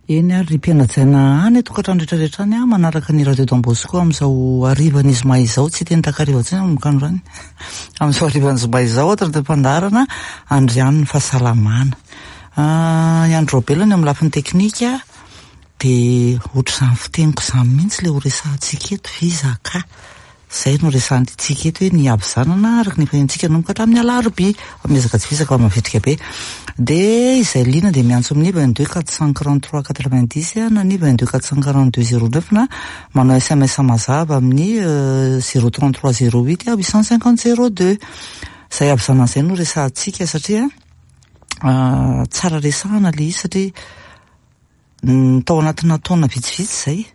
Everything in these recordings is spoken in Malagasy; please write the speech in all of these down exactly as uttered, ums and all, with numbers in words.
Eny ary ry mpianajaina any tokantrano rehetrarehetra any a, manaraka ny Radio Don Bosco amin'izao harivan'ny zoma izao, tsy teny takariva intsony manomboka androany, amin'izao harivan'ny zoma izao ato anatin'ny fandaharana Andrianin'ny fahasalamana. I Andry Raobelina ny amin'ny lafiny teknika, dia ohatr'izany fiteniko izany mihitsy ilay ho resahantsika eto, vizaka. Izay no resahantsika eto hoe ny havizanana araka ny efa henontsika nanomboka hatramin'ny alarobia. Fa miezaka tsy vizaka fa mavitrika be. Dia izay liana dia miantso amin'ny vingt-deux quatre cent quarante-trois quatre-vingt-dix na ny vingt-deux quatre cent quarante-deux zéro neuf na manao S M S mazava amin'ny zéro trente-trois zéro huit huit cent cinquante zéro deux. Izay havizanana izay no resahantsika satria tsara resahana ilay izy, satria tao anatina taona vitsivitsy izay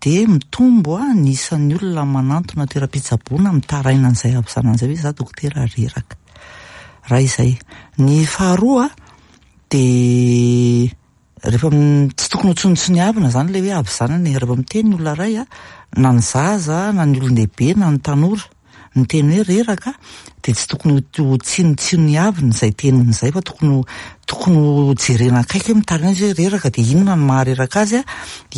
dia mitombo a ny isan'ny olona manantona toeram-pitsaboana mitaraina an'izay havizanana izay hoe za dokotera reraka. Raha izay. Ny faharoa dia rehefa tsy tokony ho tsinotsiniavina izany ilay hoe havizanana e. Rehefa miteny ny olona iray a, na ny zaza na ny olon-dehibe na ny tanora, ny teny hoe reraka dia tsy tokony ho tsinotsiniavina izay teniny izay, fa tokony tokony ho jerena akaiky hoe mitaraina izy hoe reraka dia inona no mahareraka azy a,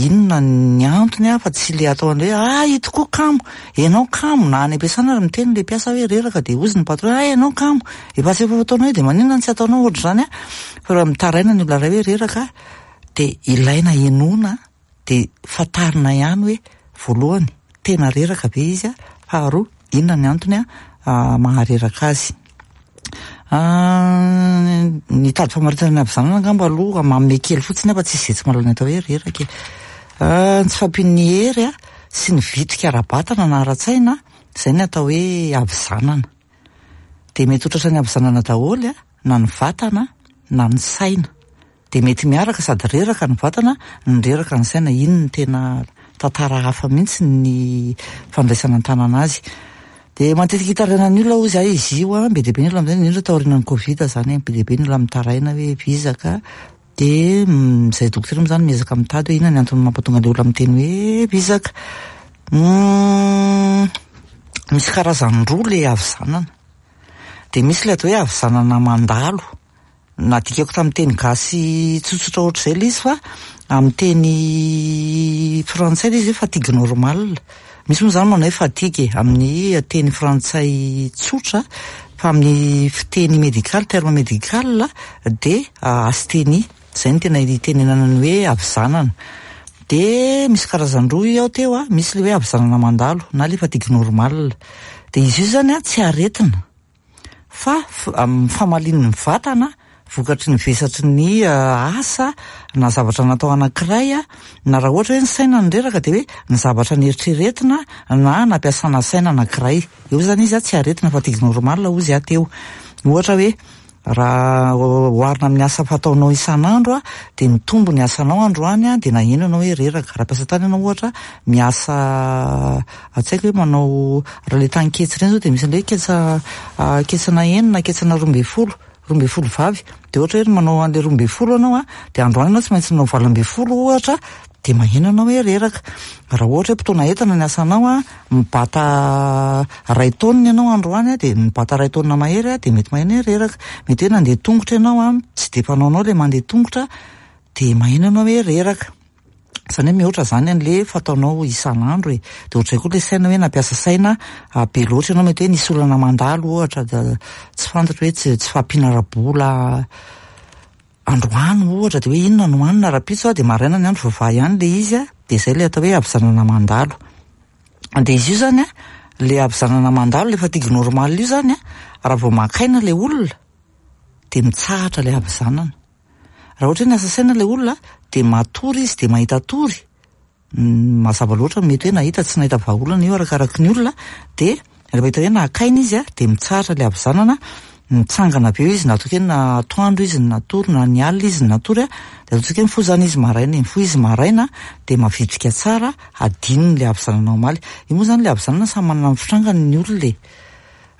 inona ny antony a, fa tsy le atao an'ilay hoe ah ito koa kamo, ianao kamo, na any am-piasana ary miteny ilay mpiasa hoe reraka dia hozy ny patron ah ianao kamo, efa tsy efa ataonao io dia maninona no tsy ataonao ohatr'izany a. Fa raha mitaraina ny olona iray hoe reraka dia ilaina henoina, dia fantarina ihany hoe voalohany tena reraka be izy a, faharoa inona ny antony a mahareraka azy. Ny tady famaritana ny havizanana angamba aloha manome kely fotsiny fa tsisy izay tsy mahalala ny atao hoe reraka e. Ny tsy fahampian'ny hery a sy ny vitrika ara-batana na ara-tsaina, izay ny atao hoe havizanana. Dia mety ho tratran'ny havizanana daholo a, na ny vatana na ny saina. Dia mety miaraka sady reraka ny vatana no reraka ny saina. Iny no tena tantara hafa mihitsy ny fandraisana an-tanana azy. Dia matetika itarainan'ny olona hozy aho izy io a, be dia be ny olona amin'izay, indrindra taorian'ny Covid izany, be dia be ny olona mitaraina hoe vizaka. Dia izay dokotera moa izany miezaka mitady hoe inona ny antony mampatonga ilay olona miteny hoe vizaka. Misy karazany roa ilay havizanana. Dia misy ilay atao hoe havizanana mandalo. Nadikako tamin'ny teny gasy tsotsotra ohatr'izay ilay izy, fa amin'ny teny frantsay ilay izy hoe fatigue normale. Misy moa izany manao hoe fatigue amin'ny teny frantsay tsotra, fa amin'ny fiteny médical, terme médical dia asthénie. Izay no tena itenenana ny hoe havizanana. Dia misy karazany roa io aho teo a, misy ilay hoe havizanana mandalo na ilay fatigue normale. Dia izy io izany a tsy aretina fa famalian'ny vatana vokatry ny vesatry ny asa na zavatra natao anankiray a, na raha ohatra hoe ny saina no reraka dia hoe ny zavatra nieritreretina na nampiasana saina anankiray. Eo izany izy a tsy aretina, fatigue normale hozy aho teo. Ohatra hoe raha oharina amin'ny asa fataonao isan'andro a, dia mitombo ny asanao androany a, dia naheno ianao hoe reraka. Raha mpiasa tany ianao ohatra miasa, tsy haiko hoe manao raha ilay tany ketsa ireny izao dia misy an'ilay hoe ketsa ketsana enina, ketsana roa ambin'ny folo, roa ambin'ny folo vavy. Dia ohatra hoe manao an'ilay roa ambin'ny folo ianao a, dia androany ianao tsy maintsy manao valo ambin'ny folo ohatra, dia maheno ianao hoe reraka. Raha ohatra hoe mpitona entana ny asanao a, mibata iray taonina ianao androany a, dia mibata iray taonina mahery a, dia mety maheno hoe reraka. Mety hoe nandeha tongotra ianao a, tsy dia fanaonao ilay mandeha tongotra, dia maheno ianao hoe reraka. Izany hoe mihoatra izany an'ilay fataonao isan'andro e. Dia ohatr'izay koa ilay saina hoe nampiasa saina be loatra ianao, mety hoe nisy olana mandalo ohatra, tsy fantatro hoe tsy tsy fahampiana ara-bola androany ohatra, dia hoe inona no hohanina rahampitso a, dia maraina ny andro voavaha ihany ilay izy a, dia izay ilay atao hoe havizanana mandalo. Dia izy io izany a, ilay havizanana mandalo, ilay fatigue normale io izany a, raha vao maka aina ilay olona dia mitsahatra ilay havizanana. Raha ohatra hoe niasa saina ilay olona dia matory izy, dia mahita tory, mazava loatra mety hoe nahita tsy nahita vahaolana io arakaraky ny olona, dia rehefa hita hoe naka aina izy a, dia mitsahatra ilay havizanana, mitsangana avy eo izy, na ataontsika hoe na atoandro izy natory na ny alina izy natory a, dia ataontsika hoe mifoha izany izy maraina, mifoha izy maraina dia mavitrika tsara, hadinony ilay havizanana omaly. Io moa izany ilay havizanana samy manana ny fitrangany ny olona e.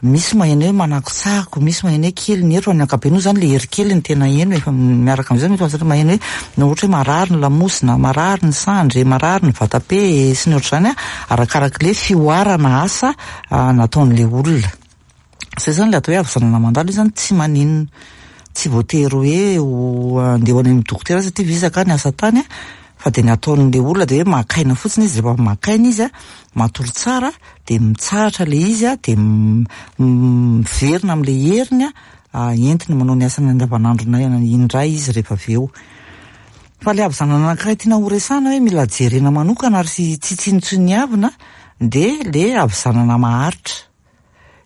Misy maheno hoe manakotsako, misy maheno hoe kely ny hery, fa ny ankapobeny moa izany ilay hery kely ny tena heno, efa miaraka amin'izay mety mahazatra maheno hoe na ohatra hoe marary ny lamosina, marary ny sandry, marary ny vatape sy ny ohatr'izany a, arakarak'ilay fihoarana asa nataon'ilay olona. Izay izany ilay atao hoe havizanana mandalo, io izany tsy maninona. Tsy voatery hoe ho andeha ho any amin'ny dokotera satria vizaka ny asa tany a, fa de ny ataon'le olona de hoe makaina fotsiny izy. Rehefa makaina izy a, matory tsara, de mitsahatra le izy a, de miverina am'le heriny a, entiny manao ny asany andavanandro indray izy rehefa avy eo. Fa le havizanana anankiray tiana ho resahana hoe mila jerena manokana ary tsy tsinontsiniavina de le havizanana maharitra.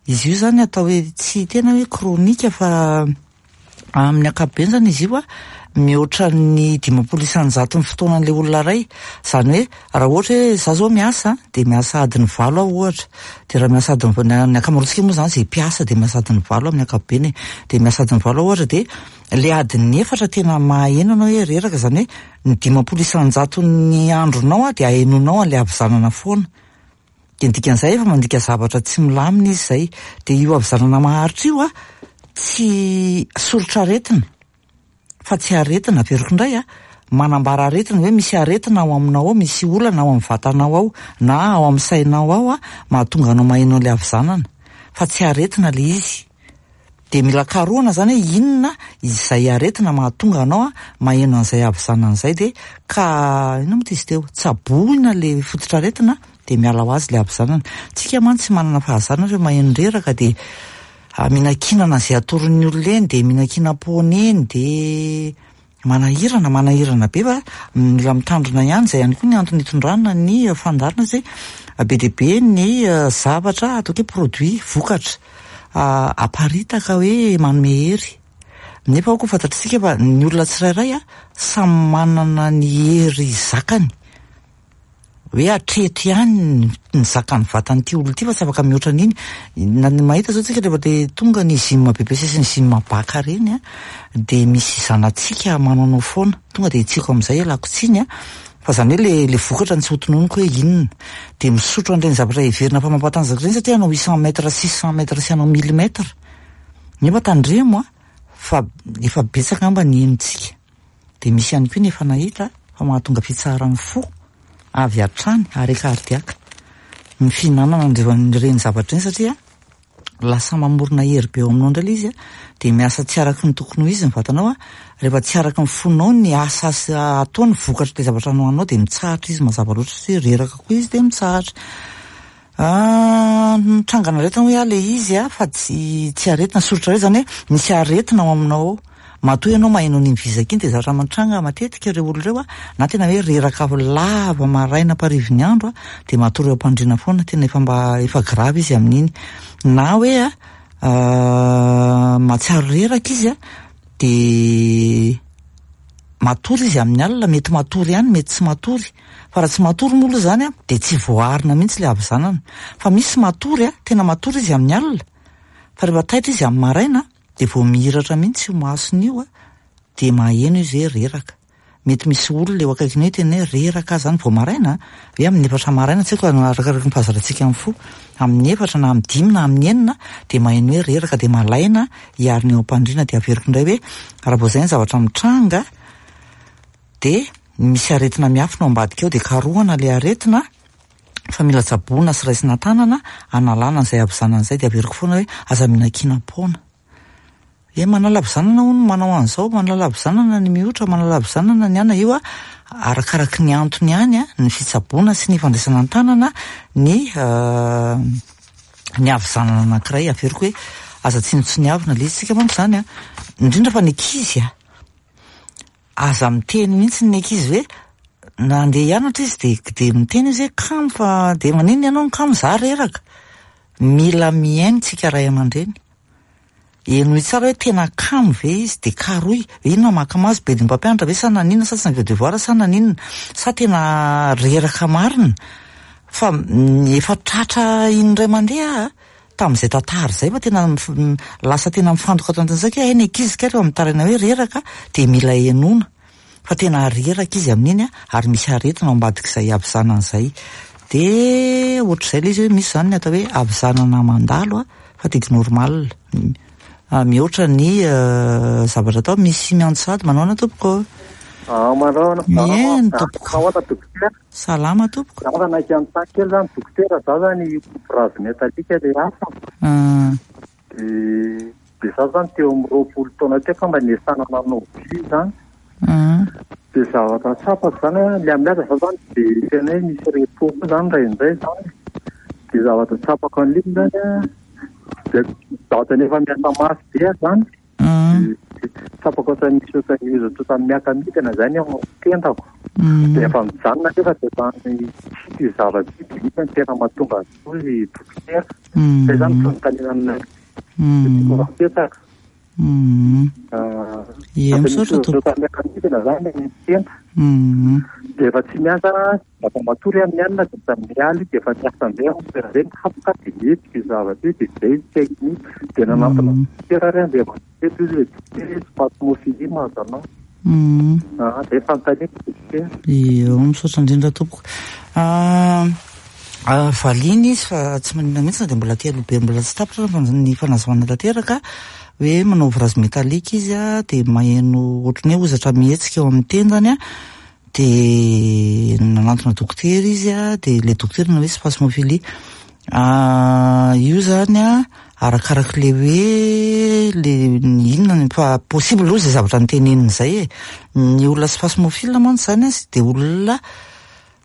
Izy io zany atao hoe tsy tena hoe kronika, fa amin'ny ankapobeny zany izy io a mihoatra ny dimampolo isan-jato ny fotoanan'le olona ray. Zany hoe raha ohatra hoe za zao miasa, de miasa adiny valo aho ohatra, de raha miasa adiny, ny ankamaroantsika moa zany zay mpiasa de miasa adiny valo amin'ny ankapobeny e, de miasa adiny valo aho ohatra, de le adiny efatra tena maheno anao hoe reraka. Zany hoe ny dimampolo isan-jato ny andronao a de ahenonao an'le havizanana foana, de ny dikan'izay efa mandika zavatra tsy milamina izy zay. De io havizanana maharitra io a tsy soritra aretina, fa tsy aretina. Averiko indray a, manambara aretina hoe misy aretina ao aminao ao, misy olana ao amin'ny vatanao ao na ao amin'ny sainao ao a mahatonga anao maheno an'le havizanana, fa tsy aretina le izy. De mila karohana zany hoe inona izay aretina mahatonga anao a maheno an'izay havizanana izay, de ka inona moa ty izy teo, tsaboina le fototra aretina, de miala ho azy le havizanana. Tsika mantsy tsy manana fahazarana rehefa maheno reraka, de mihinan-kinana izay atoron'ny olona eny, de mihinan-kinam-poana eny, de manahirana manahirana be, fa mila mitandrina ihany. Zay ihany koa ny antony hitondrana ny fandaharana, zay be dia be ny zavatra ataoko hoe produit, vokatra aparitaka hoe manome hery, nefa ao koa fantatritsika fa ny olona tsirairay a samy manana ny hery zakany, hoe hatreto ihany ny zakan'ny vatan'ity olona ity fa tsy afaka mihoatra an'iny. Na ny mahita zao tsika, rehefa de tonga ny gym B P C sy ny gym baka reny a, de misy zanatsika manaonao foana tonga de hitsiko amin'izay, ialako tsiny a, fa zany hoe le le vokatra ny tsy ho tononiko hoe inona, de misotro an'ireny zavatra heverina fa mampatanjaka ireny satria hanao huit cent mètres, six cent mètres sy hanao mille mètres, nefa tandremo a, fa efa betsaka angamba ny henontsika, de misy ihany koa ny efa nahita fa mahatonga fitsaharan'ny fo avy hatrany, arrêt cardiaque, ny fihinanana ireny zavatra ireny, satria lasa mamorona hery be eo aminao indray ilay izy a, de miasa tsy araky ny tokony ho izy ny vatanao a. Rehefa tsy araky ny fonao ny asa atao, ny vokatra le zavatra nohaninao, de mitsahatra izy mazava loatra, satria reraka koa izy de mitsahatra. Mitrangana aretina hoy aho le izy a, fa tsy tsy aretina, soritra hoe zany hoe misy aretina ao aminao ao matoa ianao maheno an'iny vizaka iny. De zavatra mitranga matetika, ireo olona ireo a na tena hoe reraka lava maraina amparivin'ny andro a, de matory eo am-pandriana foana, tena efa mba efa grave izy amin'iny, na hoe a mahatsiaro reraka izy a, de matory izy amin'ny alina, mety matory ihany, mety tsy matory. Fa raha tsy matory moa aloha zany a, de tsy voaharina mihitsy le havizanana. Fa misy matory a, tena matory izy amin'ny alina, fa rehefa taitra izy amin'ny maraina, de vao mihiratra mihitsy io masony io a, de maheno izy hoe reraka. Mety misy olona eo akaikiny hoe tena hoe reraka zany vao maraina, hoe amin'ny efatra maraina, tsy haiko, arakaraky ny fahazarantsika amin'ny fo, amin'ny efatra na amin'ny dimy na amin'ny enina, de maheno hoe reraka, de malaina hiarina eo am-pandriana. De averiko indray hoe raha vao zay ny zavatra mitranga, de misy aretina miafina ao ambadika ao, de karohana le aretina fa mila tsaboina sy raisina tanana analana an'izay havizanana izay. De averiko foana hoe aza mihinan-kinam-poana hoe manala havizanana hono, manao an'izao manala havizanana, ny mihotra manala havizanana, ny ana io a arakaraky ny antony ihany a ny fitsaboana sy ny fandraisana an-tanana ny ny havizanana anankiray. Averiko hoe aza tsinontsiniavina le izy. Tsika manko zany a, indrindra fa ny ankizy a, aza miteny mihitsy ny ankizy hoe na andeha hianatra izy, de de miteny izy hoe kamo, fa de maninona ianao no kamo? Za reraka. Mila mihaino tsika ray aman-dreny, henoy tsara hoe tena kamo ve izy, de karoy inona mahakamo azy, be de mpampianatra ve sa naninona, sa tsy naveo devoir sa naninona, sa tena reraka marina. Fa efa tratra indray mandeha tamin'izay tantara zay, fa tena lasa tena mifantoka ato anatin'izay hoe hay ny ankizy ka rehefa mitaraina hoe reraka, de mila henoina fa tena reraka izy amin'iny a, ary misy aretina ao ambadik'izay havizanana izay. De ohatr'izay le izy, hoe misy zany ny atao hoe havizanana mandalo a, fatigue normale, mihoatra ny zavatra atao. Misy miantso sady manaona tompoko? Manaona. Mihaino tompoko. Ahoana, dokotera? Salama tompoko. Za naika anontany kely zany, dokotera. Za zany bras métallique le asa, de Dia za zany teo amin'ny roapolo taona teo ka mba niasana nanao vy zany. Mm. Dia zavatra tsapako zany a, le amin'ny asa za zany dia tena hoe misy repos koa zany indraindray zany. Dia zavatra tsapako an'iny zany a, dia zavatra nefa miasa mafy be aho zany. Mm. Dia tsapako ohatran'ny misy ohatran'ny hozatra ohatran'ny miaka-midina zany ao amin'ny tendako. Mm. Dia efa mijanona nefa dia zany tsy io zavatra io dia iny no tena mahatonga azy koa izy dokotera. Mm. Zay zany fanontaniana Mm. apetraka. Mm. Ah, Ie, misaotra tompoko. Ohatran'ny miaka-midina zany ny tenda. Mm. Dia efa tsy miasa, efa matory amin'ny alina dia efa mialy dia efa miasa indray aho toerana indray mihapoka dia mihetsika io zavatra io dia zay tsy haiko mihitsy. Dia nanantona Mm. dokotera ary aho dia efa izy hoe dokotera izy spasmophilie mahazo anao. Mm. Ah, zay fanontaniako dokotera. Io, misaotra indrindra tompoko. Ah, ah, valiana izy fa tsy maninona mihitsy na dia mbola aty aloha be mbola tsy tapitra fa ny fanazavana tanteraka hoe manao ouvrage métallique izy a, dia maheno ohatran'ny hoe hozatra mihetsika eo amin'ny tendany a, dia nanantona dokotera izy a, dia le dokotera nanao hoe spasmophilie. Ah, io zany a, arakarak'le hoe le inona ny fa possible aloha izay zavatra noteneniny izay e. Ny olona spasmophile mantsy zany a, dia olona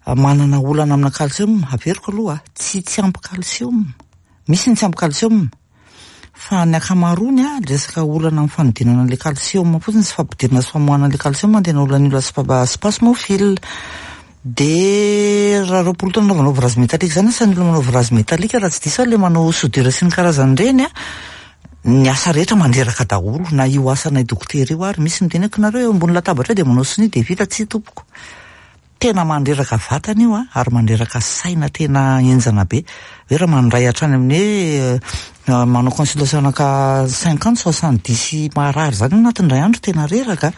manana olana amina calcium, averiko aloha, tsy tsy ampy calcium. Misy ny tsy ampy calcium. Fa ny ankamaroany a, resaka olana amin'ny fanodinana an'ilay calcium fotsiny sy fampidirana sy famoahana an'ilay calcium no tena olan'ny olona spa- spasmophile. Dia raha roapolo taona anaovana ouvrage métallique zany, asan'ny olona manao ouvrage métallique raha tsy diso aho le manao soudure sy ny karazany ireny a, ny asa rehetra mandreraka daholo, na io asanay dokotera io ary misy miteny hoe nareo eo ambony latabatra eo dia manao sonia dia vita, tsy tompoko. Tena mandreraka vatana io a, ary mandreraka saina tena henjana be. Hoe raha mandray hatrany amin'ny hoe eh, manao consultation anaka cinquante soixante-dix marary zany anatin'ny iray andro tena reraka.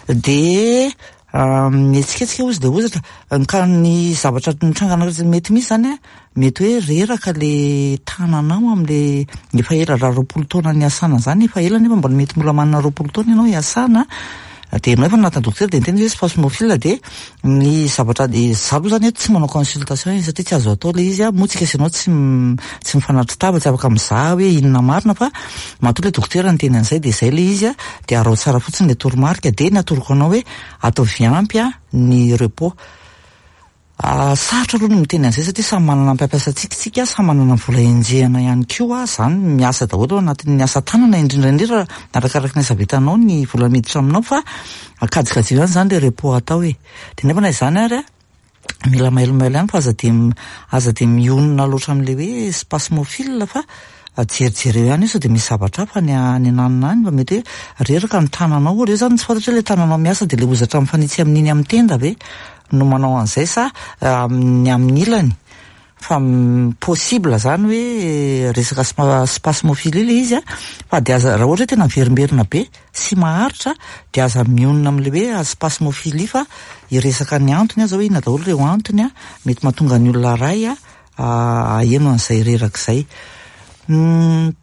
Dia ah, mihetsiketsika ozy dia hozatra. Ka ny zavatra nitrangana mety misy zany a, mety hoe reraka le tananao amin'le efa ela, raha roapolo taona niasana zany efa ela nefa mbola mety mbola manana roapolo taona ianao hiasana. Dia ianao efa nanatona dokotera dia niteny izy hoe spasmophile, dia ny zavatra dia za aloha zany hoe tsy manao consultation izy satria tsy azo atao le izy a, moa tsika sy ianao tsy m- tsy mifanatri-tava, tsy afaka mizaha hoe inona marina, fa matoa le dokotera niteny an'izay dia izay le izy a, dia arao tsara fotsiny le toromarika, dia ny atoroko anao hoe ataovy ampy a ny repos. Ah, sarotra aloha ny miteny an'izay satria samy manana ny mpampiasa antsika tsika, samy manana ny vola enjehana ihany koa, zany miasa daholo ao anatin'ny asa tanana, indrindra indrindra arakaraka ny asa vitanao ny vola miditra aminao, fa kajikajio ihany zany le repos atao e. Dia nefa na izany ary a, mila mailomailo ihany fa aza de aza de mionona loatra amin'le hoe spasmophile, fa jerijereo ihany io sao dia misy zavatra hafa ny any ananona any, fa mety hoe reraka ny tananao ohatra. Io zany tsy fantatra hoe le tananao miasa dia le hozatra mifanitsy amin'iny amin'ny tenda ve no manao an'izay sa amin'ny amin'ny ilany, fa possible zany hoe resaka spa- spasmophilie le izy a, fa de aza, raha ohatra hoe tena miverimberina be sy maharitra dia aza mionona amin'le hoe spasmophilie, fa hiresaka ny antony aza hoe inona daholo ireo antony a mety mahatonga ny olona ray a aheno an'izay reraka izay. Mm,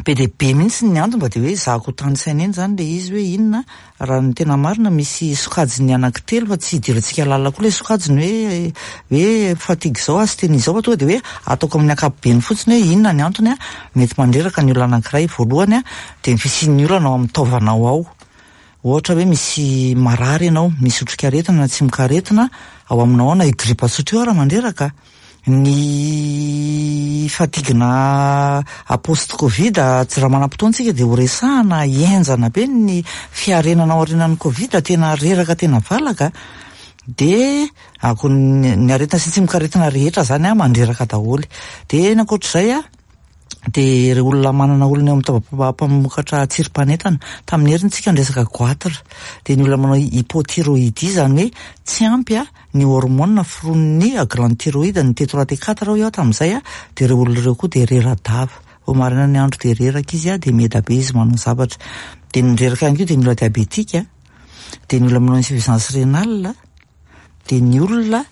be dia be mihitsy ny antony, fa de hoe zahako tany saina eny zany le izy hoe inona raha ny tena marina. Misy sokajiny anankitelo fa tsy hidirantsika lalina koa le sokajiny hoe hoe fatigue zao, asthénie zao, fa tonga de hoe ataoko amin'ny ankapobeny fotsiny hoe inona ny antony a mety mandreraka ny olona anankiray. Voalohany a, de ny fisian'ny olana ao amin'ny taovanao ao, ohatra hoe misy marary ianao, misy otrikaretina na tsimokaretina ao aminao ao, na io gripa tsotra io raha mandreraka. Ny fatigue na post covid, tsy raha manam-potoana tsika de ho resahana, henjana be ny fiarenana ao aorianan'ny covid, tena reraka tena valaka. De ako ny ny aretina sy tsimokaretina rehetra zany a mandreraka daholo. De ny ankoatr'izay a, de ireo olona manana olona eo amin'ny taovam-pamokatra tsirim-panentana, tamin'ny heriny tsika niresaka goitre, de ny olona manao hypothyroïdie, zany hoe tsy ampy a ny hormone foron'ny glande thyroïde, ny T trois T quatre hoy aho tamin'izay a, de ireo olona ireo koa de rera-dava vao maraina ny andro, de reraka izy a, de meda be izy manao zavatra. De ny reraka ihany koa de ny olona diabétique, de ny olona manao insuffisance rénale, de ny olona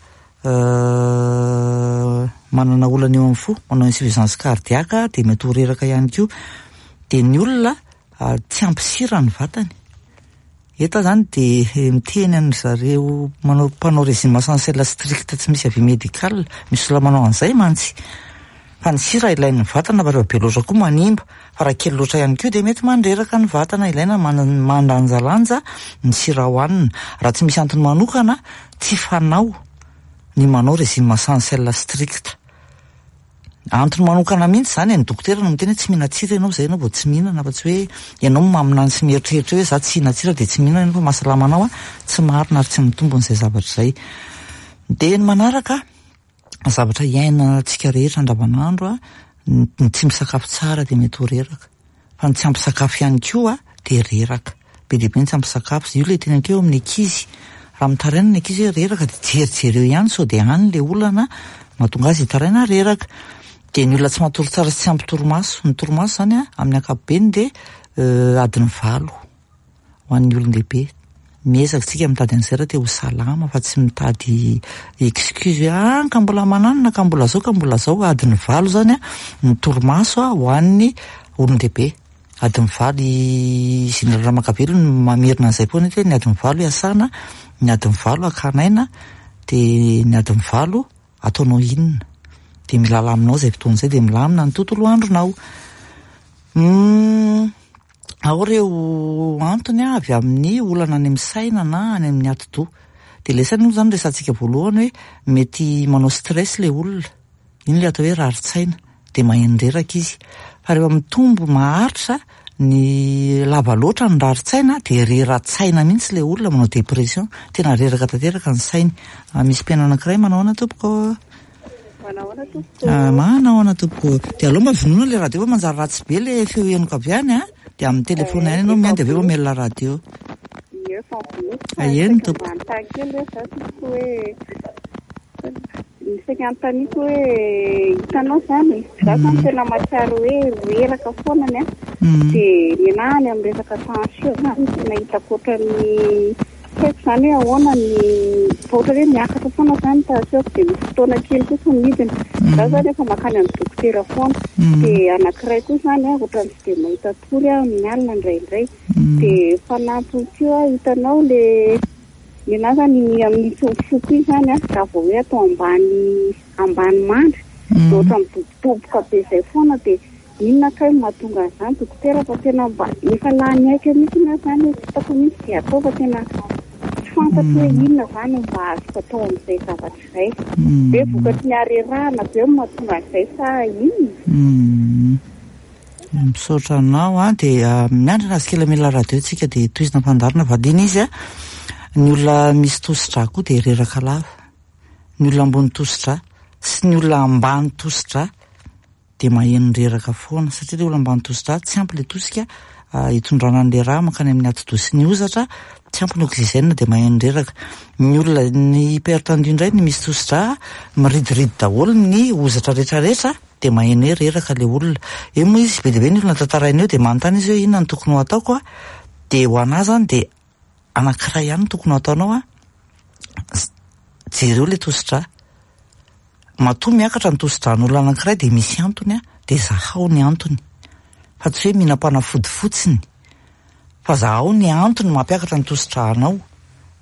manana olana eo amin'ny fo, manao insuffisance cardiaque, de mety ho reraka ihany koa. De ny olona tsy ampy sira ny vatany eto zany, de miteny any zareo manao mpanao régime essentiel strict tsy misy avis médical, misy olona manao an'izay mantsy. Fa ny sira ilain'ny vatana, fa rehefa be loatra koa manimba, fa raha kely loatra ihany koa dia mety mandreraka ny vatana. Ilaina mandanjalanja ny sira hohanina. Raha tsy misy antony manokana, tsy fanao ny manao régime sans sel strict. Antony manokana mihitsy zany e, ny dokotera no miteny hoe tsy mihinan-tsira ianao, zay ianao vao tsy mihinana, fa tsy hoe ianao maminany sy mieritreritra hoe za tsy hihinan-tsira dia tsy mihinana ianao fa mahasalama anao a, tsy marina ary tsy mitombona izay zavatra izay. Dia ny manaraka, zavatra iainantsika rehetra andavanandro a, ny tsy misakafo tsara dia mety ho reraka, fa ny tsy ampy sakafo ihany koa dia reraka. Be dia be ny tsy ampy sakafo. Io ilay teneniko eo amin'ny ankizy, raha mitaraina ny ankizy hoe reraka dia jerijereo ihany sao dia any ilay olana mahatonga azy hitaraina reraka. Dia ny olona tsy matory tsara sy tsy ampy torimaso. Ny torimaso zany a, amin'ny ankapobeny dia adiny valo ho an'ny olon-dehibe. Miezaka tsika mitady an'izay raha te ho salama, fa tsy mitady excuse hoe ah ka mbola mananona, ka mbola zao, ka mbola zao. Adiny valo zany a ny torimaso a ho an'ny olon-dehibe. Adiny valo, i Général Ramakavelo no mamerina an'izay foana hoe ny adiny valo iasana, ny adiny valo hakana aina, dia ny adiny valo ataonao inona. Dia milala aminao izay fotoana izay, dia milamina ny tontolo andronao. Ao ireo antony avy amin'ny olana any amin'ny saina na any amin'ny atidoha. Dia ilay saina moa zany resahantsika voalohany hoe mety manao stress ilay olona. Iny ilay atao hoe rarin-tsaina, dia maheno reraka izy. Fa rehefa mitombo maharitra ny lava loatra ny rarin-tsaina dia rera-tsaina mihitsy ilay olona, manao dépression, tena reraka tanteraka ny sainy. Misy mpihaino anankiray manao ahoana tompoko? Manao ahoana tompoko? Manao ahoana tompoko? Dia aleo mba vonoina ilay radio fa manjary ratsy be ilay feo henoko avy any a. Dia amin'ny telefona ihany ianao mihaino dia avy eo mamelona radio. Ie, fa vonoiko. Eny tompoko. Manontany kely hoe za tompoko hoe ny saika anontaniako hoe hitanao zany, za zany tena mahatsiaro hoe reraka foanany a. Dia ny anahy any amin'ny resaka tension zany tena hitako ohatran'ny tsy haiko zany hoe ahoana ny fa ohatra hoe miakatra foana zany tension dia misy fotoana kely kosa midina. Za zany efa mankany amin'ny dokotera foana. Dia anankiray koa zany a, ohatran'ny tsy dia mahita tory aho amin'ny alina indraindray. Dia fanampiny koa hitanao le ny anahy zany amin'ny foko iny zany a, raha vao hoe atao ambany ambany mandry dia ohatra midobodoboka be izay foana. Dia inona kay no mahatonga an'izany dokotera fa tena mba efa lany aika mihitsy na zany hoe tsy hitako mihitsy izay atao fa tena tsy fantatro hoe inona zany no mba azoko atao amin'izay zavatra izay. Hoe vokatry ny harerahana be no mahatonga an'izay sa inona? Misaotra anao a, dia miandrana azy kely amila radio tsika dia tohizina fandaharana valiana izy a. Ny olona misy tosidra koa dia reraka lava. Ny olona ambony tosidra sy ny olona ambany tosidra dia maheno reraka foana, satria ilay olona ambany tosidra tsy ampy ilay tosika hitondrana an'ilay rà mankany amin'ny atidoha sy ny hozatra, tsy ampy ny oxygène dia maheno reraka. Ny olona ny hypertendu indray, ny misy tosidra, miridiridy daholo ny hozatra rehetrarehetra dia maheno hoe reraka ilay olona. Eo moa izy be dia be ny olona tantaraina eo dia manontany izy hoe inona no tokony ho ataoko a, dia ho anahy zany dia anankiray ihany no tokony ho ataonao a, jereo ilay tosidra. Matoa miakatra ny tosidran'olona anankiray dia misy antony a, dia zahao ny antony. Fa tsy hoe mihinam-panafody fotsiny, fa zahao ny antony mampiakatra ny tosidranao.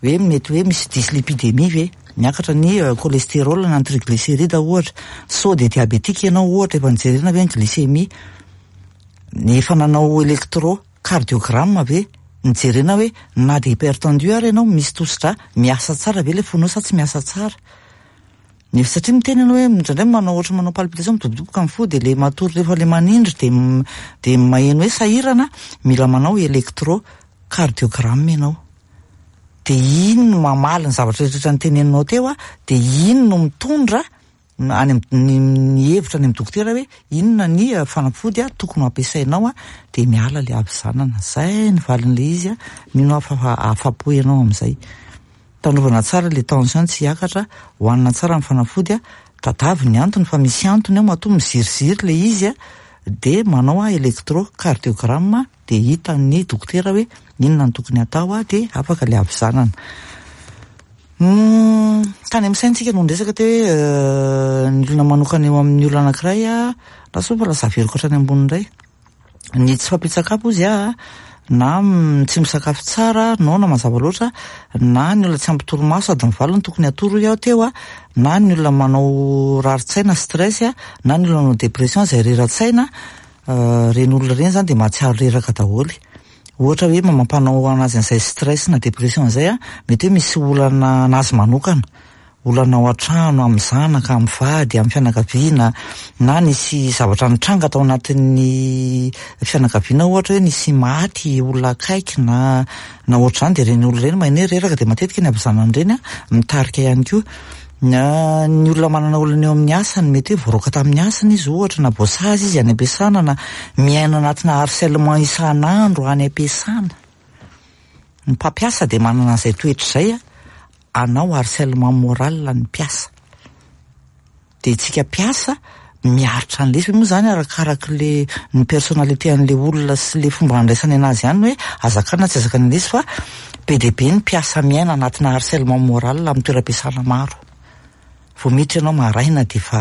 Hoe mety hoe misy dyslipidémie ve, miakatra ny cholestérol na ny triglycéride ohatra, sao dia diabétique ianao ohatra, efa nijerena ve ny glycémie, efa nanao électrocardiogramme ve, nijerena hoe na dia hypertendu ary ianao misy tosidra, miasa tsara ve ilay fonao sa tsy miasa tsara. Nefa satria miteny ianao hoe indraindray manao ohatra manao palpitation midobodoboka ny fo dia ilay matory rehefa ilay manindry dia dia maheno hoe sahirana, mila manao électrocardiogramme ianao. Dia iny no mamaly ny zavatra rehetra niteneninao teo a, dia iny no mitondra any amin'ny ny hevitra any amin'ny dokotera hoe inona ny fanafody a tokony ho ampiasainao a, dia miala ilay havizanana. Zay ny valin'ilay izy a, mino aho fa afa-po ianao amin'izay. Tandrovana tsara ilay tension tsy hiakatra, hohanina tsara ny fanafody a, tadavy ny antony fa misy antony ao matoa miziriziry ilay izy a, dia manao a électrocardiogramme dia hitan'ny dokotera hoe inona no tokony atao a, dia afaka ilay havizanana. Tany amin'ny saintsika no niresaka teo hoe ny olona manokana eo amin'ny olona anankiray a, lasa fa lasa averiko hatrany ambony indray. Ny tsy fampian-tsakafo izy a, na tsy misakafo tsara, noana mazava loatra, na ny olona tsy ampy torimaso, adiny valo no tokony hatory hoy aho teo a, na ny olona manao rarin-tsaina stress a, na ny olona manao dépression izay rera-tsaina, ireny olona ireny zany dia mahatsiaro reraka daholo. Ohatra hoe mampanao anazy an'izay stress na dépression izay a, mety hoe misy olana anazy manokana, olana ao an-trano, amin'ny zanaka, amin'ny vady, amin'ny fianakaviana, na nisy zavatra nitranga tao anatin'ny fianakaviana, ohatra hoe nisy maty olona akaiky na na ohatr'izany, dia ireny olona ireny maheno hoe reraka, dia matetika ny havizanana ireny a mitarika ihany koa. Na ny olona manana olana eo amin'ny asany, mety hoe voaroaka tamin'ny asany izy ohatra, na voasazy izy any am-piasana, na miaina anatina harcèlement isan'andro any am-piasana. Ny mpampiasa dia manana an'izay toetra izay a, anao harcèlement moral ny mpiasa. Dia tsika mpiasa miaritra an'ilay izy moa zany arakaraka le ny personnalité an'le olona sy le fomba andraisany anazy ihany hoe azakana tsy azakana an'ilay izy, fa be dia be ny mpiasa miaina anatina harcèlement moral amin'ny toeram-piasana maro. Vao miditra ianao maraina dia efa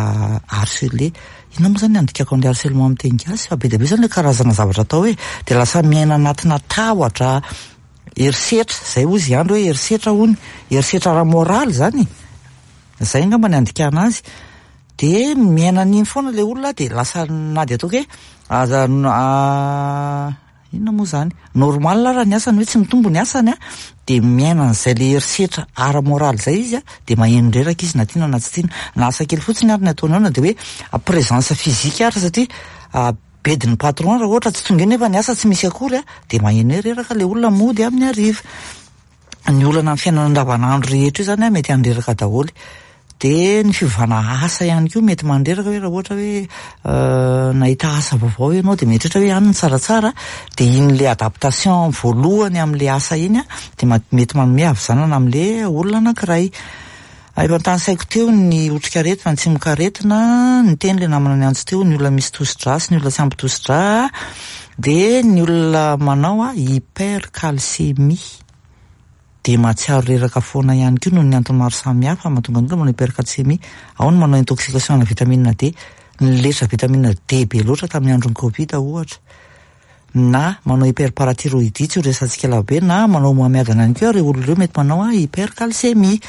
harcelé. Inona moa zany andikako an'ilay harcèlement amin'ny teny gasy, fa be dia be zany le karazana zavatra atao hoe dia lasa miaina anatina tahotra, herisetra, zay hozy andro hoe herisetra hony, herisetra ara-moraly zany. Zay angamba ny andikana azy. Dia miaina an'iny foana ilay olona, dia lasa na dia ataoko hoe aza inona moa zany normal raha ny asany hoe tsy mitombo ny asany a, dia miaina an'izay le herisetra ara-moraly zay izy a, dia maheno reraka izy na tiana na tsy tiana, na asa kely fotsiny ary ny ataony ao, na dia hoe présence physique ary, satria bedin'ny patron raha ohatra tsy tonga eo nefa ny asa tsy misy akory a, dia maheno hoe reraka le olona mody amin'ny hariva. Ny olana amin'ny fiainana andavanandro rehetra io zany a mety handreraka daholo. Dia ny fiovana asa ihany koa mety mandreraka, hoe raha ohatra hoe nahita asa vaovao ianao dia mieritreritra hoe any ny tsaratsara, dia iny le adaptation voalohany amin'le asa iny a dia mety manome havizanana amin'le olona anankiray. Efa notanisaiko teo ny otrikaretina, ny tsimokaretina, ny teny le namana niantso teo, ny olona misy tosi-drà sy ny olona tsy ampy tosi-drà, dia ny olona manao a hypercalcémie dia mahatsiaro reraka foana ihany koa noho ny antony maro samihafa mahatonga ny olona manao hypercalcémie. Ao ny manao intoxication ana vitamine D, niletra vitamine D be loatra tamin'ny andron'ny Covid ohatra, na manao hyperparathyroïdie, tsy ho resahantsika lava be, na manao homamiadana ihany koa ireo olona ireo mety manao hypercalcémie.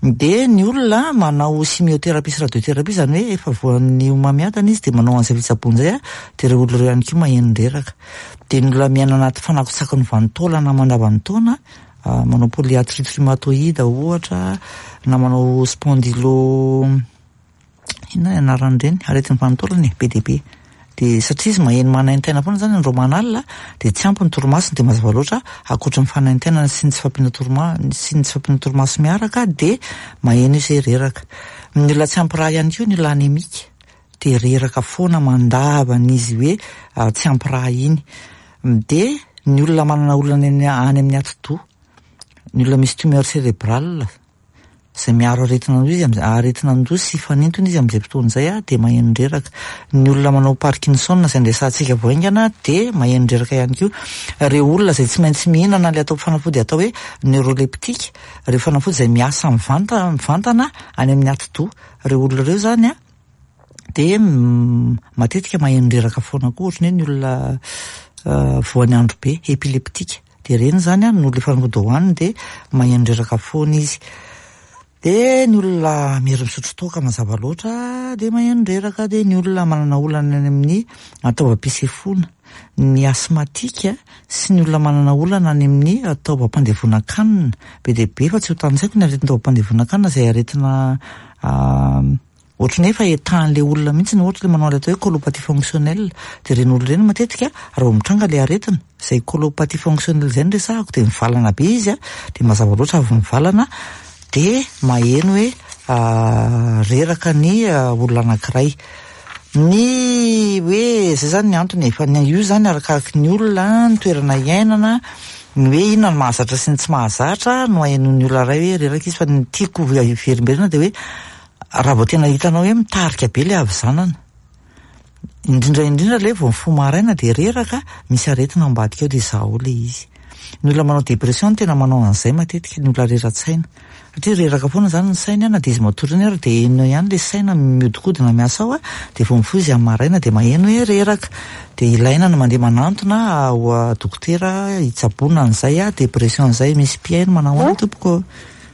Dia ny olona manao chimiothérapie sy radiothérapie, zany hoe efa voan'ny homamiadana izy dia manao an'izay fitsaboana izay a, dia ireo olona ireo ihany koa maheno reraka. Dia ny olona miaina anaty fanakotsaky ny vanin-taolana mandavan'ny-taona, manao polyarthrite rhumatoïde ohatra, na manao spondylo, inona ny anaran'ireny aretin'ny vanin-taolana e, be dia be. Dia satria izy maheno manaintaina foana zany andro aman'alina, dia tsy ampy ny torimasony, dia mazava loatra ankoatra ny fanaintainana sy ny tsy fahampiana torima- sy ny tsy fahampiana torimaso miaraka, dia maheno izy hoe reraka. Ny olona tsy ampy rà ihany koa, ny olona anémique, dia reraka foana mandavana izy hoe tsy ampy rà iny. Dia ny olona manana olana any amin'ny atidoha, ny olona misy tumeur cérébrale izay miaro aretina andoha izy, aretina andoha sy fanintona izy amin'izay fotoana izay a, dia maheno reraka. Ny olona manao Parkinson izay nresahantsika vao haingana dia maheno reraka ihany koa. Ireo olona izay tsy maintsy mihinana ilay atao fanafody atao hoe neuroleptique, ireo fanafody izay miasa mivanta mivantana any amin'ny atidoha, ireo olona ireo zany a dia matetika maheno reraka foana koa, ohatran'ny hoe ny olona voan'ny andro be, épileptique, dia ireny zany a no le fanafody hohaniny dia maheno reraka foana izy. Dia ny olona miery misotro toaka mazava loatra dia maheno reraka. Dia ny olona manana olana any amin'ny taovam-pisefoana, ny asthmatique sy ny olona manana olana any amin'ny taovam-pandevonan-kanina, be dia be fa tsy ho tanisaiko ny aretina taovam-pandevonan-kanina izay aretina ohatran'ny hoe efa etahan'ilay olona mihitsy, ohatra ilay manao ilay atao hoe colopathie fonctionnelle, dia ireny olona ireny matetika raha vao mitranga ilay aretina izay colopathie fonctionnelle izay no resahako, dia mivalana be izy a, dia mazava loatra avy mivalana dia maheno hoe reraka ny olona anankiray. Ny hoe zay zany ny antony, fa ny io zany arakaraky ny olona, ny toerana iainana, ny hoe inona no mahazatra sy ny tsy mahazatra no ahenoan'ny olona iray hoe reraka izy. Fa ny tiako hiverimberina dia hoe raha vao tena hitanao hoe mitarika be ilay havizanana, indrindra indrindra ilay vao mifoha maraina dia reraka, misy aretina ambadika ao, dia izaho ilay izy. Ny olona manao dépression no tena manao an'izay matetika, ny olona rera-tsaina. Satria reraka foana zany ny sainy a, na dia izy matory iny ary dia eno ihany le saina mihodinkodina miasa ao a, dia vao mifoha izy amin'ny maraina dia maheno hoe reraka. Dia ilaina ny mandeha manantona ho dokotera hitsaboana an'izay a, dépression izay. Misy mpihaino, manao ahoana tompoko?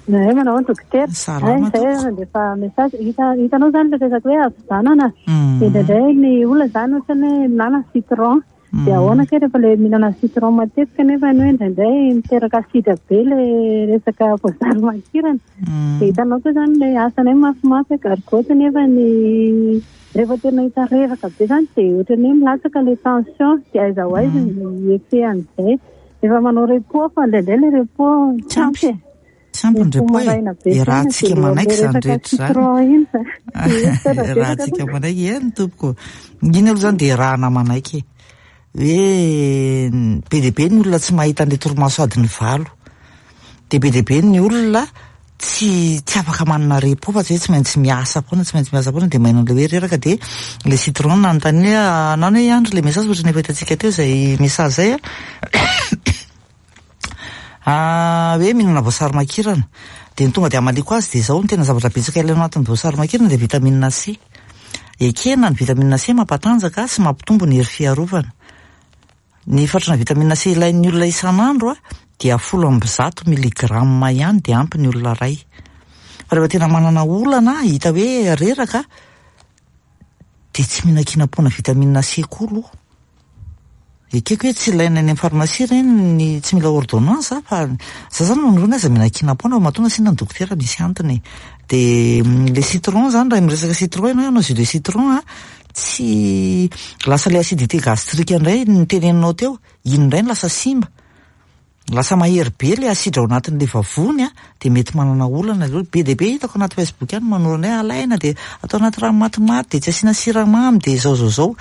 Zay manao ahoana dokotera? Salama Zay tompoko. Mandefa message. Hita hitanao zany le resaka hoe havizanana. Mm. Dia indraindray ny olona zany ohatra ny hoe mihinana citron. Dia ahoana kay rehefa le mihinana citron matetika nefa ny hoe indraindray miteraka asidra be le resaka voasary makirana. Mm. Dia hitanao koa zany le asanay mafimafy gargote nefa ny rehefa tena hita reraka be zany dia ohatran'ny hoe milatsaka le tension, dia aiza ho aiza ny effet an'izay. Efa manao repos fa indraindray le repos tsy ampy e. Tsy ampy ny repos e. Maraina be E, raha tsika manaiky izany rehetra izany. Citron iny zany. Raha tsika manaiky eny tompoko. Iny aloha zany dia rahana manaiky e. Hoe be dia be ny olona tsy mahita an'ilay torimaso adiny valo. Dia be dia be ny olona tsy tsy afaka manana repos fa tsy hoe tsy maintsy miasa foana, tsy maintsy miasa foana, dia maheno an'ilay hoe reraka. Dia le citron nanontany hoe anano hoe andro le message ohatran'ny efa hitantsika teo izay message zay a. Ah, hoe mihinana voasary makirana. Dia ny tonga dia hamaliko azy dia izao: ny tena zavatra betsaka ilaina ao anatin'ny voasary makirana dia vitamine C. Ekena ny vitamine C mampatanjaka sy mampitombo ny hery fiarovana. Ny fatrana vitamine C ilain'ny olona isan'andro a dia folo amby zato miligrama ihany dia ampy ny olona ray. Fa rehefa tena manana olana hita hoe reraka dia tsy mihinan-kinam-poana vitamine C koa aloha. Ekeko hoe tsy ilaina any amin'ny farmasia ireny, ny tsy mila ordonnance, fa za zany manoro aza mihinan-kinam-poana fa matoa nasiana ny dokotera misy antony. Dia le citron zany, raha miresaka citron ianao, hanao jus de citron a, tsy lasa le acidité gastrique indray ny teneninao teo, iny indray no lasa simba. Lasa mahery be le asidra ao anatin'le vavony a, dia mety manana olana le olona. Be dia be hitako anaty Facebook any manorana hoe alaina dia atao anaty rano matimaty dia tsy asiana siramamy dia zao zao zao.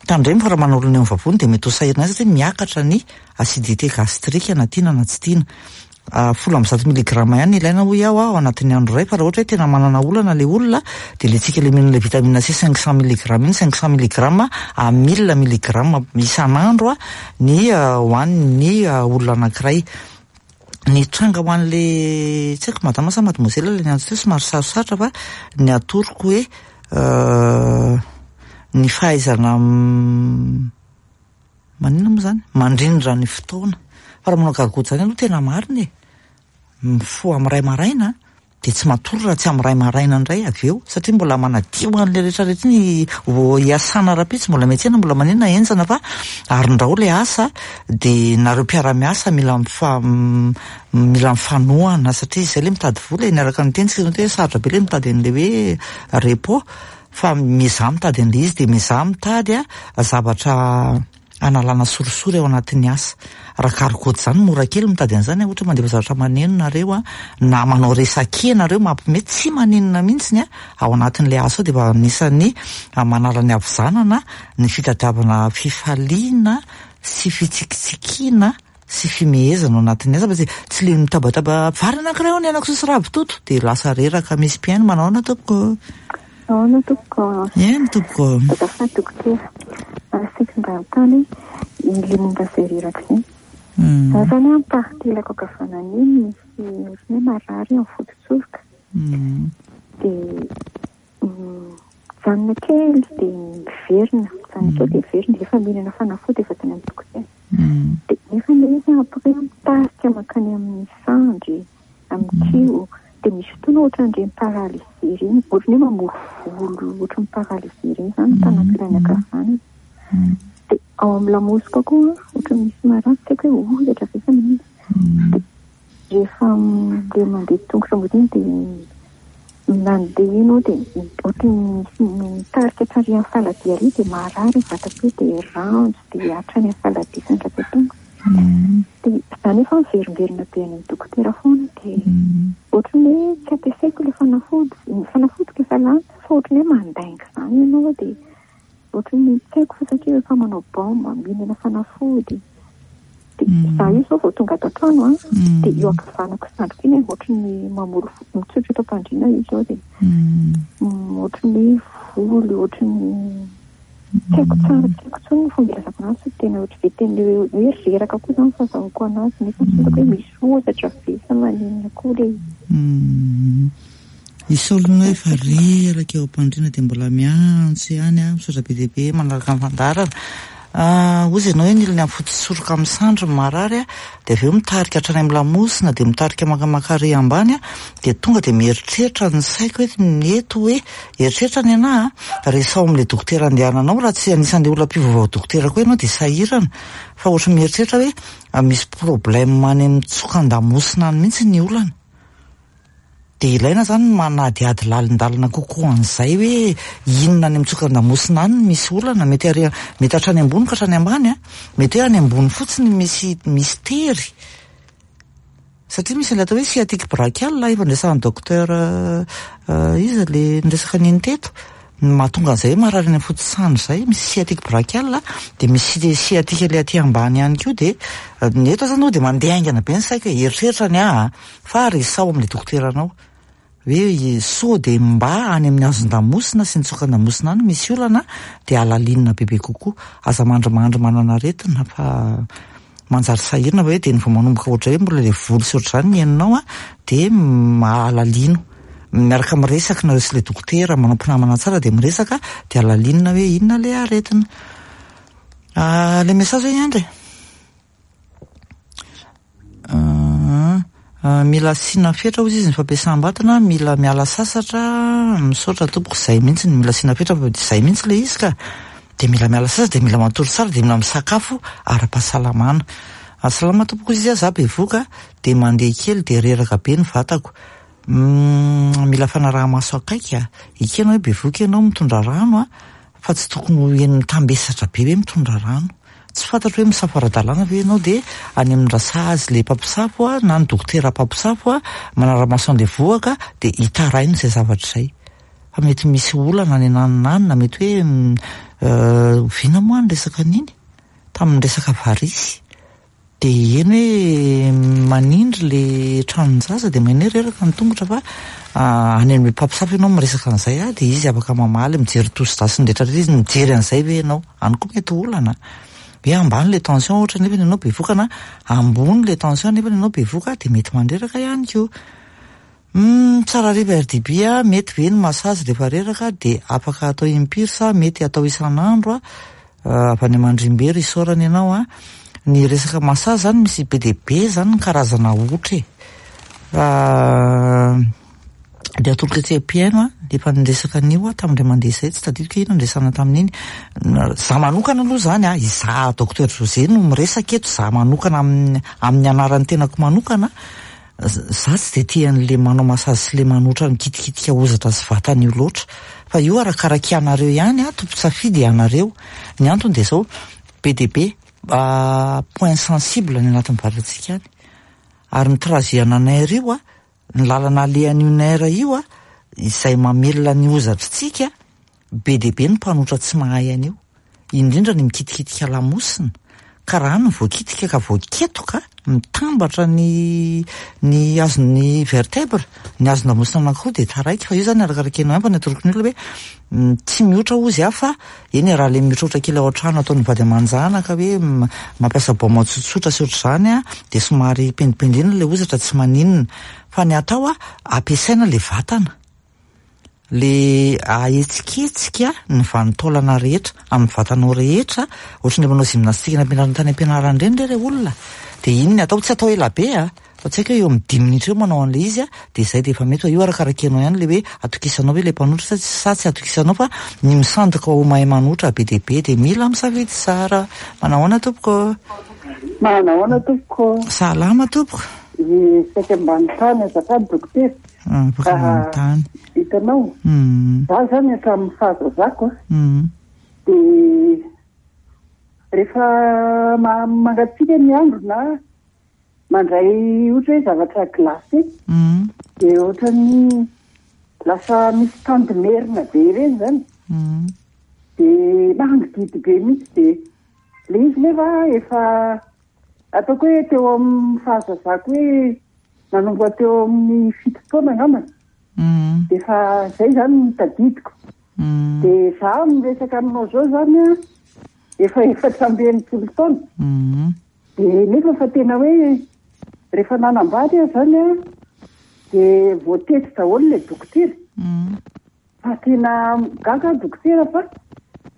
Tandremo fa raha manao olona eo amin'ny vavony dia mety ho sahirana satria miakatra ny acidité gastrique na tiana na tsy tiana. Ah, folo amby zato miligrama ihany ilaina hoy aho ao anatin'ny andro iray, fa raha ohatra hoe tena manana olana le olona dia le tsika le mihinana le vitamine C cinq cent milligramme iny, cinq cent milligramme à mille milligramme isan'andro a ny hoan'ny olona anankiray. Ny tranga ho an'le tsy haiko madama sa mademoiselle le niantso teo somary sarosarotra, fa ny atoroko hoe ny fahaizana maninona moa zany mandrindra ny fotoana. Fa raha manao gargoty zany aloha tena marina e, mifoha amin'ny ray maraina dia tsy matory raha tsy amin'ny ray maraina indray avy eo, satria mbola manadio an'le rehetrarehetra iny hiasana rahampitso, mbola miantsena, mbola maninona, henjana fa arindrao le asa. Dia nareo mpiara-miasa mila mifa mila mifanohana satria izay le mitady vola e. Niaraka niteny tsika hoe sarotra be le mitady an'le hoe repos, fa mizaha mitady an'le izy dia mizaha mitady a zavatra analana sorisory ao anatin'ny asa. Raha gargoty zany mora kely mitady an'izany, ohatra mandefa zavatra maneno nareo a, na manao resake nareo mampimety, tsy maninona mihitsiny a ao anatin'le asa ao. Dia efa anisan'ny manala ny havizanana ny fitadiavana fifaliana sy fitsikitsikiana sy fimehezana ao anatin'ny asa, fa tsy tsy le mitabataba vary anankiray ao ny anako sosy ravitoto dia lasa reraka. Misy mpihaino, manao ahoana tompoko? Ahoana tompoko? Eny tompoko. Azafady dokotera, saika mba hanontany le momba izay reraka izay. Za zany a, partie lako ankavanana iny misy ohatran'ny hoe marary amin'ny fototsoroka. Dia mijanona kely dia miverina, mijanona kely dia miverina, efa mihinana fanafody, efa tany amin'ny dokotera. Dia nefa ilay izy après mitarika mankany amin'ny sandry, amin'ny kiho, dia misy fotoana ohatran'ireny paralysie ireny, ohatran'ny hoe mamory volo, ohatran'ny paralysie ireny zany ny tanako ilany ankavanana. Dia ao amin'ny lamosiko koa ohatran'ny misy marary, tsy haiko hoe hozatra ve sa inona. Dia rehefa le mandeha tongotra mody iny dia mandeha ianao dia ohatran'ny misy mitarika hatrary amin'ny faladia ary dia marary ny vatako dia ranjo dia hatrany amin'ny faladia sy ny ratsan-tongotra. Dia za nefa miverimberina be any amin'ny dokotera foana, dia ohatran'ny hoe tsy ampiasaiko ilay fanafody, ny fanafodiko efa lany, fa ohatran'ny hoe mandainga izany ianao, dia ohatran'ny tsy haiko fa satria efa manao baume, mihinana fanafody. Dia za io zao vao tonga ato an-trano a, dia eo ankavanako sandriko iny ohatran'ny mamory mitsotra eto am-pandriana izy zao, dia ohatran'ny hoe voly, ohatran'ny Tsy haiko tsara, tsy haiko intsony ny fomba ilazako anazy fa tena ohatry be tena hoe reraka koa izany fahazahoako anazy nefa tsy fantako hoe misy hozatra ve sa maninona koa ilay izy. Misy olona hoe efa reraka eo am-pandriana dia mbola miantso ihany a, misaotra be dia be manaraka ny fandaharana. Hozy ianao hoe ny olona amin'ny foto-tsoroka amin'ny sandry no marary a, dia avy eo mitarika hatrany amin'ny lamosina, dia mitarika makamaka ambany a, dia tonga dia mieritreritra ny saiko hoe mety hoe eritreritra ny anahy a, resaho amin'ilay dokotera andehananao, raha tsy anisan'ilay olona mpivaovao dokotera koa ianao dia sahirana, fa ohatry mieritreritra hoe misy problème any amin'ny tsokan-damosina any mihitsy ny olana. Dia ilaina zany manadihady lalindalina kokoa an'izay hoe inona any amin'ny tsokan-damosina any misy olana, mety ary mety hatrany ambony ka hatrany ambany a, mety hoe any ambony fotsiny misy misy tery. Satria misy ilay atao hoe sciatique brachial efa niresahan'ny docteur iza le niresaka an'iny teto, mahatonga an'izay hoe marary any amin'ny foto-tsandry izay, misy sciatique brachial dia misy sciatique ilay aty ambany ihany koa, dia ny eto zany dia mandeha haingana be ny saiko hoe eritreritra ny ahy fa resaho amin'ilay dokoteranao hoe sao dia mba any amin'ny hazon-damosina sy ny tsokan-damosina any misy olana dia alalinina bebe kokoa, aza mandrimandry manana aretina fa manjary sahirana hoe dia ny vao manomboka ohatra hoe mbola ilay volo sy ohatr'izany ny heninao a, dia alalino miaraka miresaka nareo sy ilay dokotera, manao mpinamana tsara dia miresaka dia alalinina hoe inona ilay aretina. Ilay message hoe Andry mila asiana fetra hozy izy ny fampiasam-batana, mila miala sasatra, misaotra tompoko, izay mihitsy ny mila asiana fetra fa izay mihitsy ilay izy ka, dia mila miala sasatra, dia mila matory tsara, dia mila misakafo ara-pahasalamana. Salama tompoko izy, za bevoka dia mandeha kely dia reraka be ny vatako. Mila fanaraha-maso akaiky a, ekena hoe bevoka ianao mitondra rano a, fa tsy tokony ho eny mitambesatra be hoe mitondra rano. Tsy fantatro hoe misafo ara-dalàna ve ianao dia any amin'ny rasazy ilay mpampisafo a, na ny dokotera mpampisafo a, manara-maso an'ilay vohoka dia hitaraina izay zavatra izay. Fa mety misy olana any ananona any, na mety hoe oviana moa ny resaka an'iny? Tamin'ny resaka varisy. Dia eny hoe manindry ilay tranon-jaza dia maheno hoe reraka ny tongotra fa any amin'ny mpampisafo ianao miresaka an'izay a, dia izy afaka mamaly, mijery tosi-drà sy ny rehetra rehetra izy, mijery an'izay ve ianao? Any koa mety olana. Hoe ambany ilay tension ohatra nefa ianao bevoka na ambony ilay tension nefa ianao bevoka dia mety mandreraka ihany koa. Tsara hariva R D B a, mety ve ny massage rehefa reraka dia afaka atao impiry sa mety atao isan'andro a? Avy any Mandrimbery isaorana ianao a. Ny resaka massage zany misy be dia be zany ny karazana otra e. Dia atolotra etsy am-pihaino a, efa niresaka an'io a tamin'indray mandeha izay, tsy tadidiko hoe inona niresahana tamin'iny. Za manokana aloha zany a, izaho docteur José no miresaka eto, za manokana amin'ny amin'ny anaran'ny tenako manokana, za tsy dia tia an'ilay manao massage sy ilay manotra mikitikitika hozatra sy vatana io loatra. Fa io arakaraka ianareo ihany a, tompon-tsafidy ianareo. Ny antony dia izao, be dia be point sensible ny anatin'ny vatantsika any. Ary ny trajet-na nerf io a, ny lalana alehan'io nerf io a, izay mamelona ny hozatritsika, be dia be ny mpanotra tsy mahay an'io. Indrindra ny mikitikitika lamosina, ka raha ny voakitika ka voaketoka, mitambatra ny ny hazon'ny vertèbre, ny hazon-damosina anankiroa dia taraiky. Fa io zany arakaraka ianao ihany fa ny atoroko ny olona hoe tsy mihotra hozy aho fa eny raha ilay mihotrahotra kely ao an-trano ataon'ny vady aman-janaka hoe mampiasa baoma tsotsotra sy ohatr'izany a, dia somary pendipendrena ilay hozatra tsy maninona. Fa ny atao a, ampiasaina ilay vatana, le ahetsiketsika ny vanin-taolana rehetra amin'ny vatanao rehetra, ohatry ny manao gymnastique nampianarina tany am-pianarana ireny re ilay olona. Dia iny ny atao, tsy atao ela be a, fa tsy haiko hoe eo amin'ny dimy minitra eo manao an'ilay izy a, dia izay dia efa mety fa io arakaraka ianao ihany ilay hoe atokisanao ve ilay mpanotra sa sa tsy atokisanao, fa ny misandoka ho mahay manotra be dia be dia mila misafidy tsara. Manahoana tompoko? Manahoana tompoko? Salama tompoko. Ny saika ambany tany azafady dokotera. Afaka manontany. Hitanao? Za zany hatramin'ny fahazazako a, dia rehefa mangatsiaka ny andro na mandray ohatra hoe zavatra glacé, dia ohatran'ny lasa misy tandimerina be ireny zany. Dia mangididy be mihitsy, dia ilay izy nefa efa ataoko hoe teo amin'ny fahazazako hoe nanomboka teo amin'ny fito taona angambany. Dia efa izay zany no tadidiko. Dia za miresaka aminao zao zany a, efa efatra amby enimpolo taona. Dia nefa fa tena hoe rehefa nanambady aho zany a, dia voatety daholo ilay dokotera. Fa tena gaga dokotera fa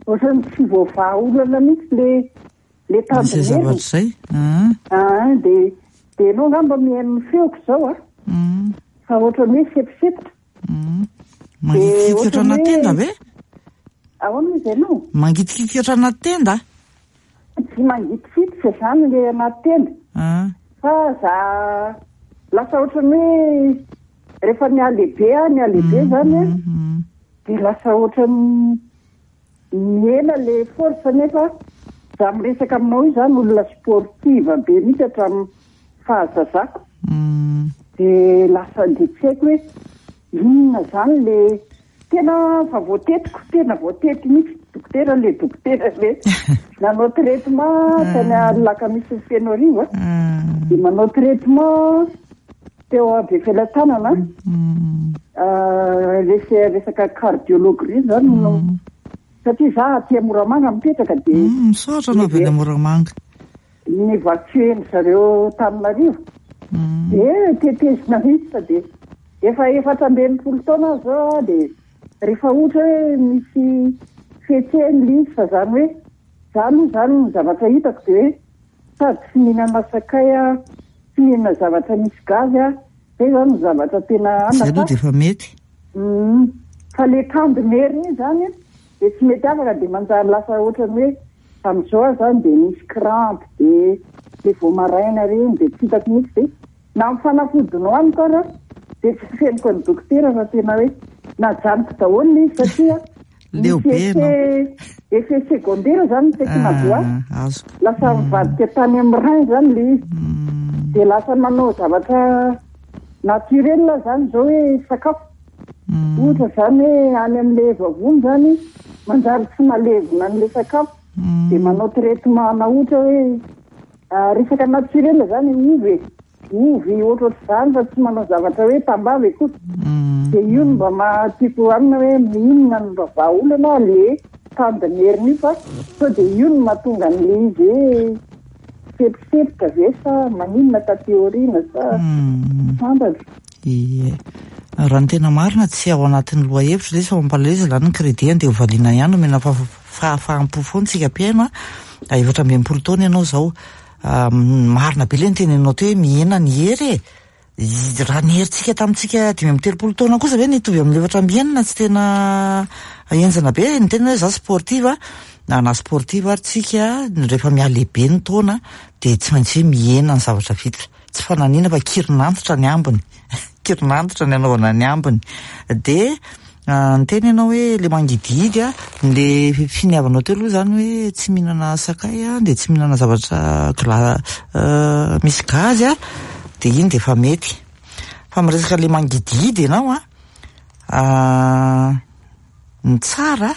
ohatran'ny tsy voavaha olana mihitsy le le Izay zavatra izay. Ah, dia dia ianao angamba mihaino ny feoko izao a. Fa ohatran'ny hoe seposepotra. Mangitikitika ohatrana tenda ve? Ahoana izy ianao? Mangitikitika ohatrana tenda? Tsy mangitikitika izany le anaty tenda. Fa za lasa ohatran'ny hoe rehefa nihalehibe aho, nihalehibe zany a, dia lasa ohatran'ny mihena le force nefa za miresaka aminao io zany olona sportive be mihitsy hatramin'ny fahazazako. Dia lasa dia tsy haiko hoe inona zany le tena fa voatetiko, tena voatety mihitsy dokotera le dokotera le nanao traitement tany Alakamisy Fenoarivo a, dia manao traitement teo Befelatanana rese resaka cardiologue ry zany no satria za aty Moramanga mipetraka dia misaotra anao avy any Moramanga nivacueny zareo Tananarivo dia tetezina mihitsy fa dia efa efatra amby enimpolo taona aho zao a, dia rehefa ohatra hoe misy fihetsehany le izy fa zany hoe za aloha zany ny zavatra hitako dia hoe sady tsy mihinana sakay a, tsy mihinana zavatra misy gazy a, zay zany ny zavatra tena Izay aloha dia efa mety. Fa le tandimerina iny zany dia tsy mety afaka dia manjary lasa ohatran'ny hoe amin'izao aho zany dia misy crampe dia le vao maraina reny dia tsy hitako mihitsy dia na amin'ny fanafody nohaniko ara dia tsy feniko ny dokotera fa tena hoe najanoko daholo le izy satria Leo be ianao. effet secondaire zany ny tena voa azoko. Lasa mivadika tany amin'ny rein zany le izy. Dia lasa manao zavatra naturel zany zao hoe sakafo. Ohatra zany hoe any amin'le vavony zany manjary tsy malevina an'le sakafo. Dia manao traitement na ohatra hoe resaka naturel zany ovy e. Ovy ohatrohatr'izany fa tsy manao zavatra hoe tambavy akory. Dia io no mba mahatiako amina hoe inona no mba vahaolana le tandimerina io fa sao dia io no mahatonga an'le izy hoe seposepotra ve sa maninona taty aoriana sa fantatra. Ie. Raha ny tena marina tsy ao anatin'ny lohahevitra ilay izy fa mampalahelo izy lany ny crédit dia hovaliana ihany omena fahafaham-po foana tsika mpihaino a. Efatra amby enimpolo taona ianao izao. Marina be ilay nitenenao teo hoe mihena ny hery e. Raha ny herintsika tamintsika dimy amby telopolo taona kosa ve nitovy amin'ny efatra amby enina tsy tena henjana be. Ny tena hoe za sportive na na sportive ary tsika rehefa mihalehibe ny taona dia tsy maintsy hoe mihena ny zavatra vita. Tsy fananina fa kirinantitra ny ambiny. Kirinantitra ny anaovana ny ambiny. Dia niteny ianao hoe le mangidihidy a, le finiavanao teo aloha zany hoe tsy mihinana sakay a, dia tsy mihinana zavatra gla misy gazy a, dia iny dia efa mety. Fa miresaka le mangidihidy ianao a, ny tsara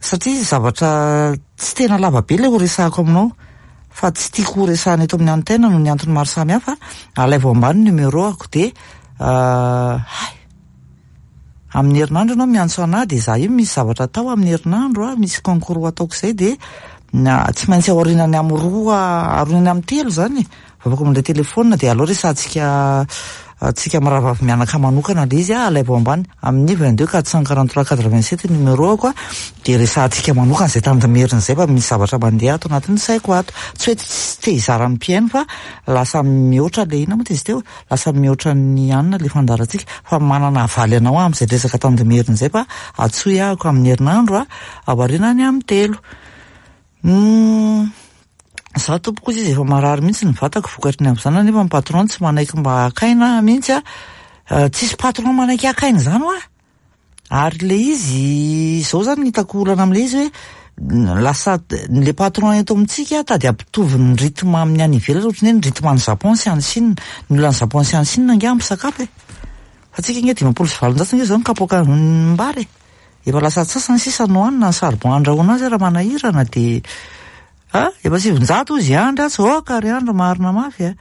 satria zavatra tsy tena lava be le ho resahako aminao fa tsy tiako ho resahana eto amin'ny antenne noho ny antony maro samihafa. Alaivo ambany numéro ako dia hay amin'ny herinandro ianao miantso anahy dia za io misy zavatra atao amin'ny herinandro a, misy concours ataoko izay dia na tsy maintsy aorianany amin'ny roa, aorianany amin'ny telo zany afaka mandray telefona dia aleo resahantsika tsika mirahavavy mianaka manokana le izy a, alaivo ambany amin'ny vingt-deux quatre cent quarante-trois quatre-vingt-sept numéro ako a, dia resahantsika manokana izay tandimerina izay fa misy zavatra mandeha ato anatin'ny saiko ato. Tsy hoe tsy te hizara amin'ny mpihaino fa lasa mihoatra le inona moa izy teo, lasa mihoatra ny anina le fandaharantsika fa manana havaly anao aho amin'izay resaka tandimerina izay fa antsoy ahako amin'ny herinandro a, aorianany amin'ny telo. Za tompoko izy efa marary mihitsy ny vatako vokatry ny amin'izany nefa ny patron tsy manaiky mba hakaina mihitsy a. Tsisy patron manaiky hakaina izany hoa. Ary le izy izao zany ny hitako olana amin'ilay izy hoe lasa le patron eto amintsika tady hampitovy ny rythme amin'ny any ivelany ohatran'ny hoe ny rythme any Japon sy any Chine. Ny olona any Japon sy any Chine ange ampy sakafo e. Fa tsika ange dimampolo sy valonjato ange izao ny kapoaka mbary e. Efa lasa antsasany sisa no hanina ny charbon andrahoana azy raha manahirana dia ah, efa sivinjato izy andry atsy oka ry andro marina mafy a.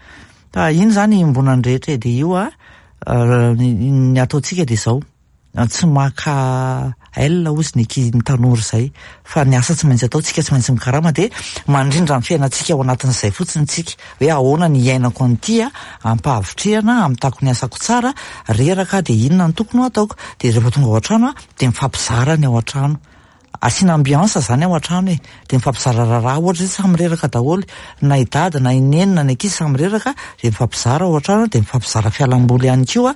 Fa iny zany iombonan'ny rehetra dia io a, ny ataontsika dia izao. tsy maka L ozy ny ankizy ny tanora izay, fa ny asa tsy maintsy atao, tsika tsy maintsy mikarama, dia mandrindra ny fiainantsika ao anatin'izay fotsiny tsika, hoe ahoana ny iainako an'ity a, ampahavitrihana, amitako ny asako tsara, reraka dia inona ny tokony ho ataoko, dia rehefa tonga ao an-trano a, dia mifampizara ny ao an-trano. Asiana ambiance zany ao an-trano e, dia mifampizara raharaha, ohatra hoe samy reraka daholo, na i dada na i neny na ny ankizy samy reraka, dia mifampizara ao an-trano, dia mifampizara fialamboly ihany koa.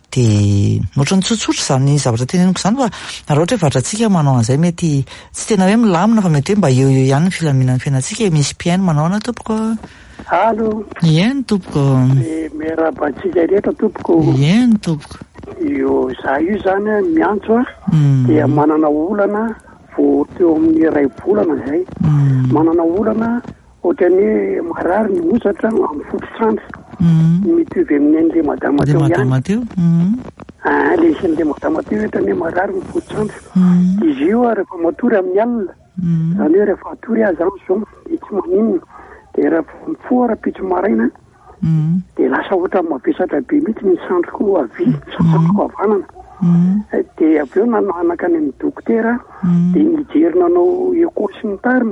Dia ohatran'ny tsotsotra izany zavatra teneniko izany, fa raha ohatra hoe vatrantsika manao an'izay mety tsy tena hoe milamina, fa mety hoe mba eo eo ihany ny filaminan'ny fiainantsika. Misy mpihaino manao ana tompoko? Allo. Eny tompoko. Eh, miarahaba antsika rehetra tompoko. Eny tompoko. Io za io zany a, miantso a, dia manana olana vao teo amin'ny iray volana zay. Manana olana ohatran'ny hoe marary ny hozatra amin'ny fototr'andro. Mitovy amin'ny an'le madama teo ihany. Madama teo. Ah, le isan'le madama teo ohatran'ny hoe marary ny fototr'andro. Izy io a, rehefa matory amin'ny alina, zany hoe rehefa atory aho zany zao, dia tsy maninona. Dia rehefa mifoha rahampitso maraina, dia lasa ohatran'ny mavesatra be mihitsy ny sandriko havia, sandriko havanana. Dia avy eo nananaka any amin'ny dokotera, dia nijery nanao écho sy ny tariny,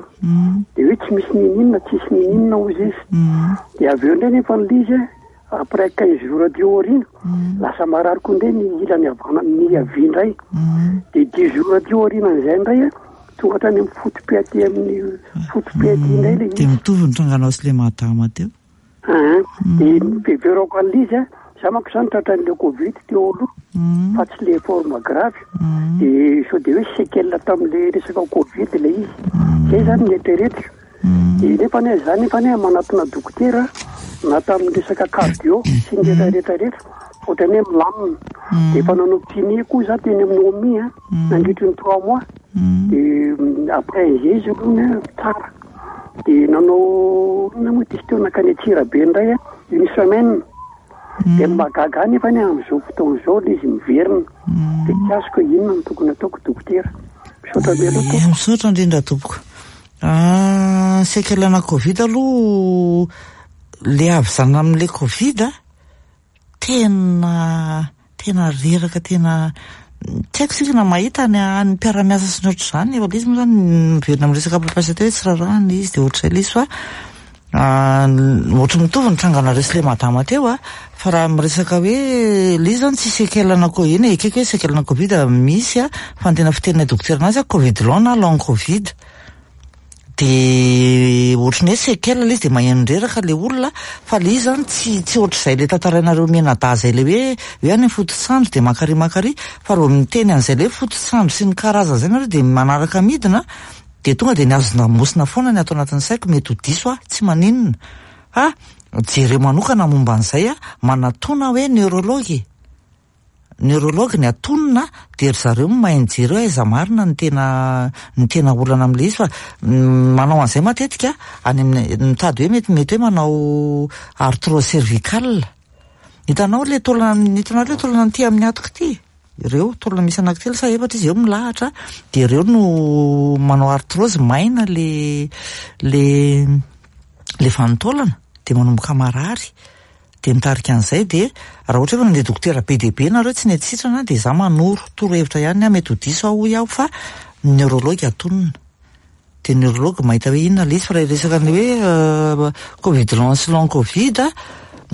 dia hoe tsy misy nininona, tsisy nininona hozy izy. Dia avy eo indray nefa ny izy après quinze jours aty aoriana, lasa marary koa indray ny ilany havanana, ny havia indray. Dia dix jours aty aorianan'izay indray, tonga hatrany amin'ny foto-pe aty amin'ny foto-pe aty indray ilay izy. Dia mitovy ny tranganao sy le madama teo. Ah, dia ny fiheverako an'ilay izy a, za manko zany tratran'le Covid teo aloha, fa tsy le forme grave. Dia sao dia hoe séquelle tamin'le resaka Covid ilay izy. Zay zany ny eritreretiko. Dia nefa anie za nefa anie manatona dokotera na tamin'ny resaka cardio sy ny rehetra rehetra, ohatran'ny hoe milamina. Dia efa nanao kiné koa za teny amin'ny O M I a, nandritry ny trois mois. Dia après izay izy aloha tsara. Dia nanao inona moa ty teo nankany Antsirabe indray a, une semaine. Dia mahagaga ahy nefa anie amin'izao fotoana izao ilay izy miverina. Dia tsy azoko hoe inona no tokony ataoko dokotera. Misaotra be aloha tompoko. Misaotra indrindra tompoko. Ah, séquelle-na Covid aloha, le havizana amin'le Covid a, tena tena reraka, tena tsy haiko sika na mahita ny ny mpiara-miasa sy ny ohatr'izany, efa ilay izy moa zany miverina amin'ny resaka mpampiasa teo hoe tsy rarahana izy, dia ohatr'izay ilay izy fa ohatry mitovy ny tranganareo sy le madama teo a, fa raha miresaka hoe ilay izy zany tsy séquelle-na ko-, eny e, ekeko hoe séquelle-na Covid misy a, fa ny tena fiteninay dokotera anazy a, Covid long na long Covid. Dia ohatry ny hoe séquelle ilay izy, dia maheno reraka ilay olona, fa ilay izy zany tsy tsy ohatr'izay ilay tantarainareo mianadahy izay, ilay hoe hoe any amin'ny fototsandro dia mankary mankary, fa raha vao miteny an'izay ilay fototsandro sy ny karazana izay nareo dia manaraka midina, dia tonga dia ny hazon-damosina foana ny ato anatin'ny saiko, mety ho diso aho, tsy maninona. Fa jereo manokana momba an'izay a, manatona hoe neurologue. Neurologue ny atonina, dia ry zareo mahay mijery hoe aiza marina ny tena ny tena olana amin'ilay izy, fa manao an'izay matetika any amin'ny mitady hoe mety mety hoe manao arthrose cervicale. Hitanao le taolana, hitanao le taolana aty amin'ny hatoka ity? Ireo taolana misy anankitelo sa efatra izy eo milahatra, dia ireo no manao arthrose, maina le le le vanin-taolana, dia manomboka marary. Dia mitarika an'izay, dia raha ohatra hoe nandeha dokotera be dia be nareo tsy nety sitrana, dia za manoro torohevitra ihany aho, mety ho diso aho hoy aho, fa neurologue atonina. Dia neurologue mahita hoe inona ilay izy, fa raha resaka ny hoe Covid long sy long Covid,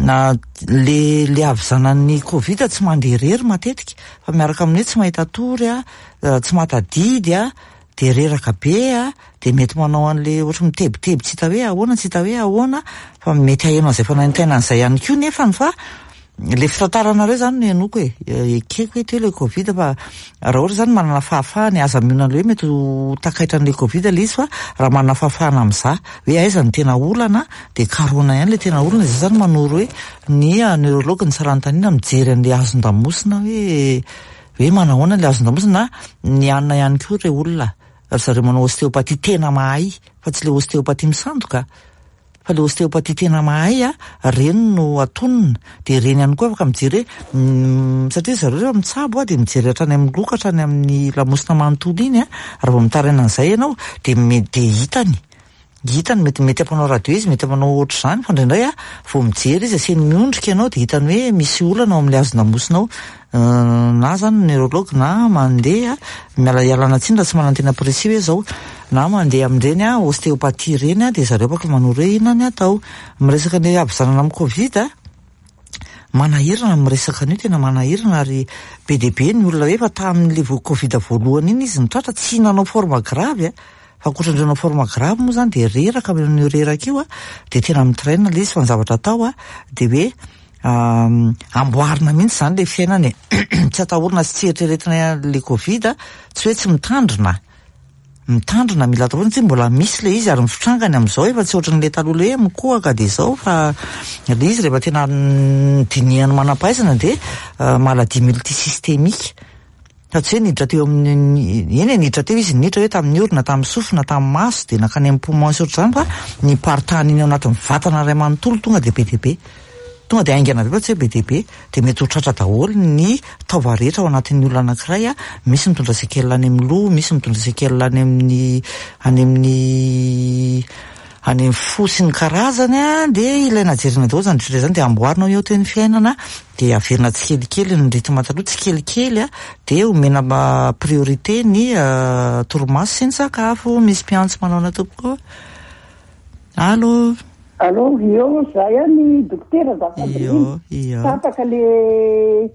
na le le havizanan'ny Covid tsy mandeha irery matetika, fa miaraka amin'ny hoe tsy mahita tory a, tsy mahatadidy a, dia reraka be a, dia mety manao an'le ohatry mitebiteby tsy hita hoe ahoana, tsy hita hoe ahoana, fa mety haheno an'izay fanaintainana izay ihany koa nefany, fa le fitantaranareo zany no henoiko e, ekeko hoe teo le Covid, fa raha ohatra zany manana fahafahana, aza mionona hoe mety ho takaitran'le Covid ilay izy, fa raha manana fahafahana amin'izaho hoe aiza ny tena olana, dia karohina ihany le tena olana. Izay zany manoro hoe ny neurologue ny tsara-ntanina mijery an'le hazon-damosina hoe hoe manahoana le hazon-damosina, na ny hanina ihany koa re olona. Ry zareo manao ostéopathie tena mahay, fa tsy le ostéopathie misandoka, fa le ostéopathie tena mahay a, reny no atonina. Dia reny ihany koa afaka mijery hoe, satria zareo rehefa mitsabo a, dia mijery hatrany amin'ny loka, hatrany amin'ny lamosina manontolo iny a, raha vao mitaraina an'izay ianao, dia me-, dia hitany. Hitany mety mety ampanao radio izy, mety ampanao ohatr'izany, fa indraindray a vao mijery izy asiany miondrika ianao dia hitany hoe misy olana ao amin'ilay hazon-damosina ao. Na zany neurologue na mandeha miala ialana tsiny raha tsy manantena précis hoe zao, na mandeha amin'ireny a ostéopathie ireny a dia zareo afaka manoro hoe inona ny atao. Miresaka ny havizanana amin'ny Covid a, manahirana ny miresaka an'io, tena manahirana, ary be dia be ny olona hoe efa tamin'ilay vo- Covid voalohany iny izy nitratra, tsy nanao forme grave a, fa ankoatran'ireo nanao forme grave moa zany dia reraka amin'io reraka io a, dia tena mitraina ilay izy. Fa ny zavatra atao a dia hoe amboarina mihitsy zany ilay fiainana e, tsy atahorana sy tsy eritreretina ilay Covid a, tsy hoe tsy mitandrina, mitandrina mila atao foana, tsy mbola misy ilay izy, ary ny fitrangany amin'izao efa tsy ohatran'ilay taloha ilay hoe mikohaka dia izao, fa ilay izy rehefa tena dinihan'ny manam-pahaizana dia maladie multisystémique. Fa tsy hoe niditra teo amin'ny, eny e, niditra teo izy, niditra hoe tamin'ny orona, tamin'ny sofina, tamin'ny maso, dia nankany amin'ny poumon sy ohatr'izany, fa ny paritahany iny ao anatin'ny vatana iray manontolo tonga dia be dia be, tonga dia haingana be, fa tsy hoe be dia be, dia mety ho tratra daholo ny taova rehetra ao anatin'ny olona anankiray a. Misy mitondra séquelle any amin'ny loha, misy mitondra séquelle any amin'ny, any amin'ny, any amin'ny fo sy ny karazany a, dia ilaina jerena daholo zany rehetra zany, dia amboarina eo teo ny fiainana, dia averina tsikelikely ny rythme taloha, tsikelikely a, dia omena priorité ny torimaso sy ny sakafo. Misy mpiantso manao na tompoko. Allô? Allô, io za ihany dokotera azafady. Io, io. Tapaka le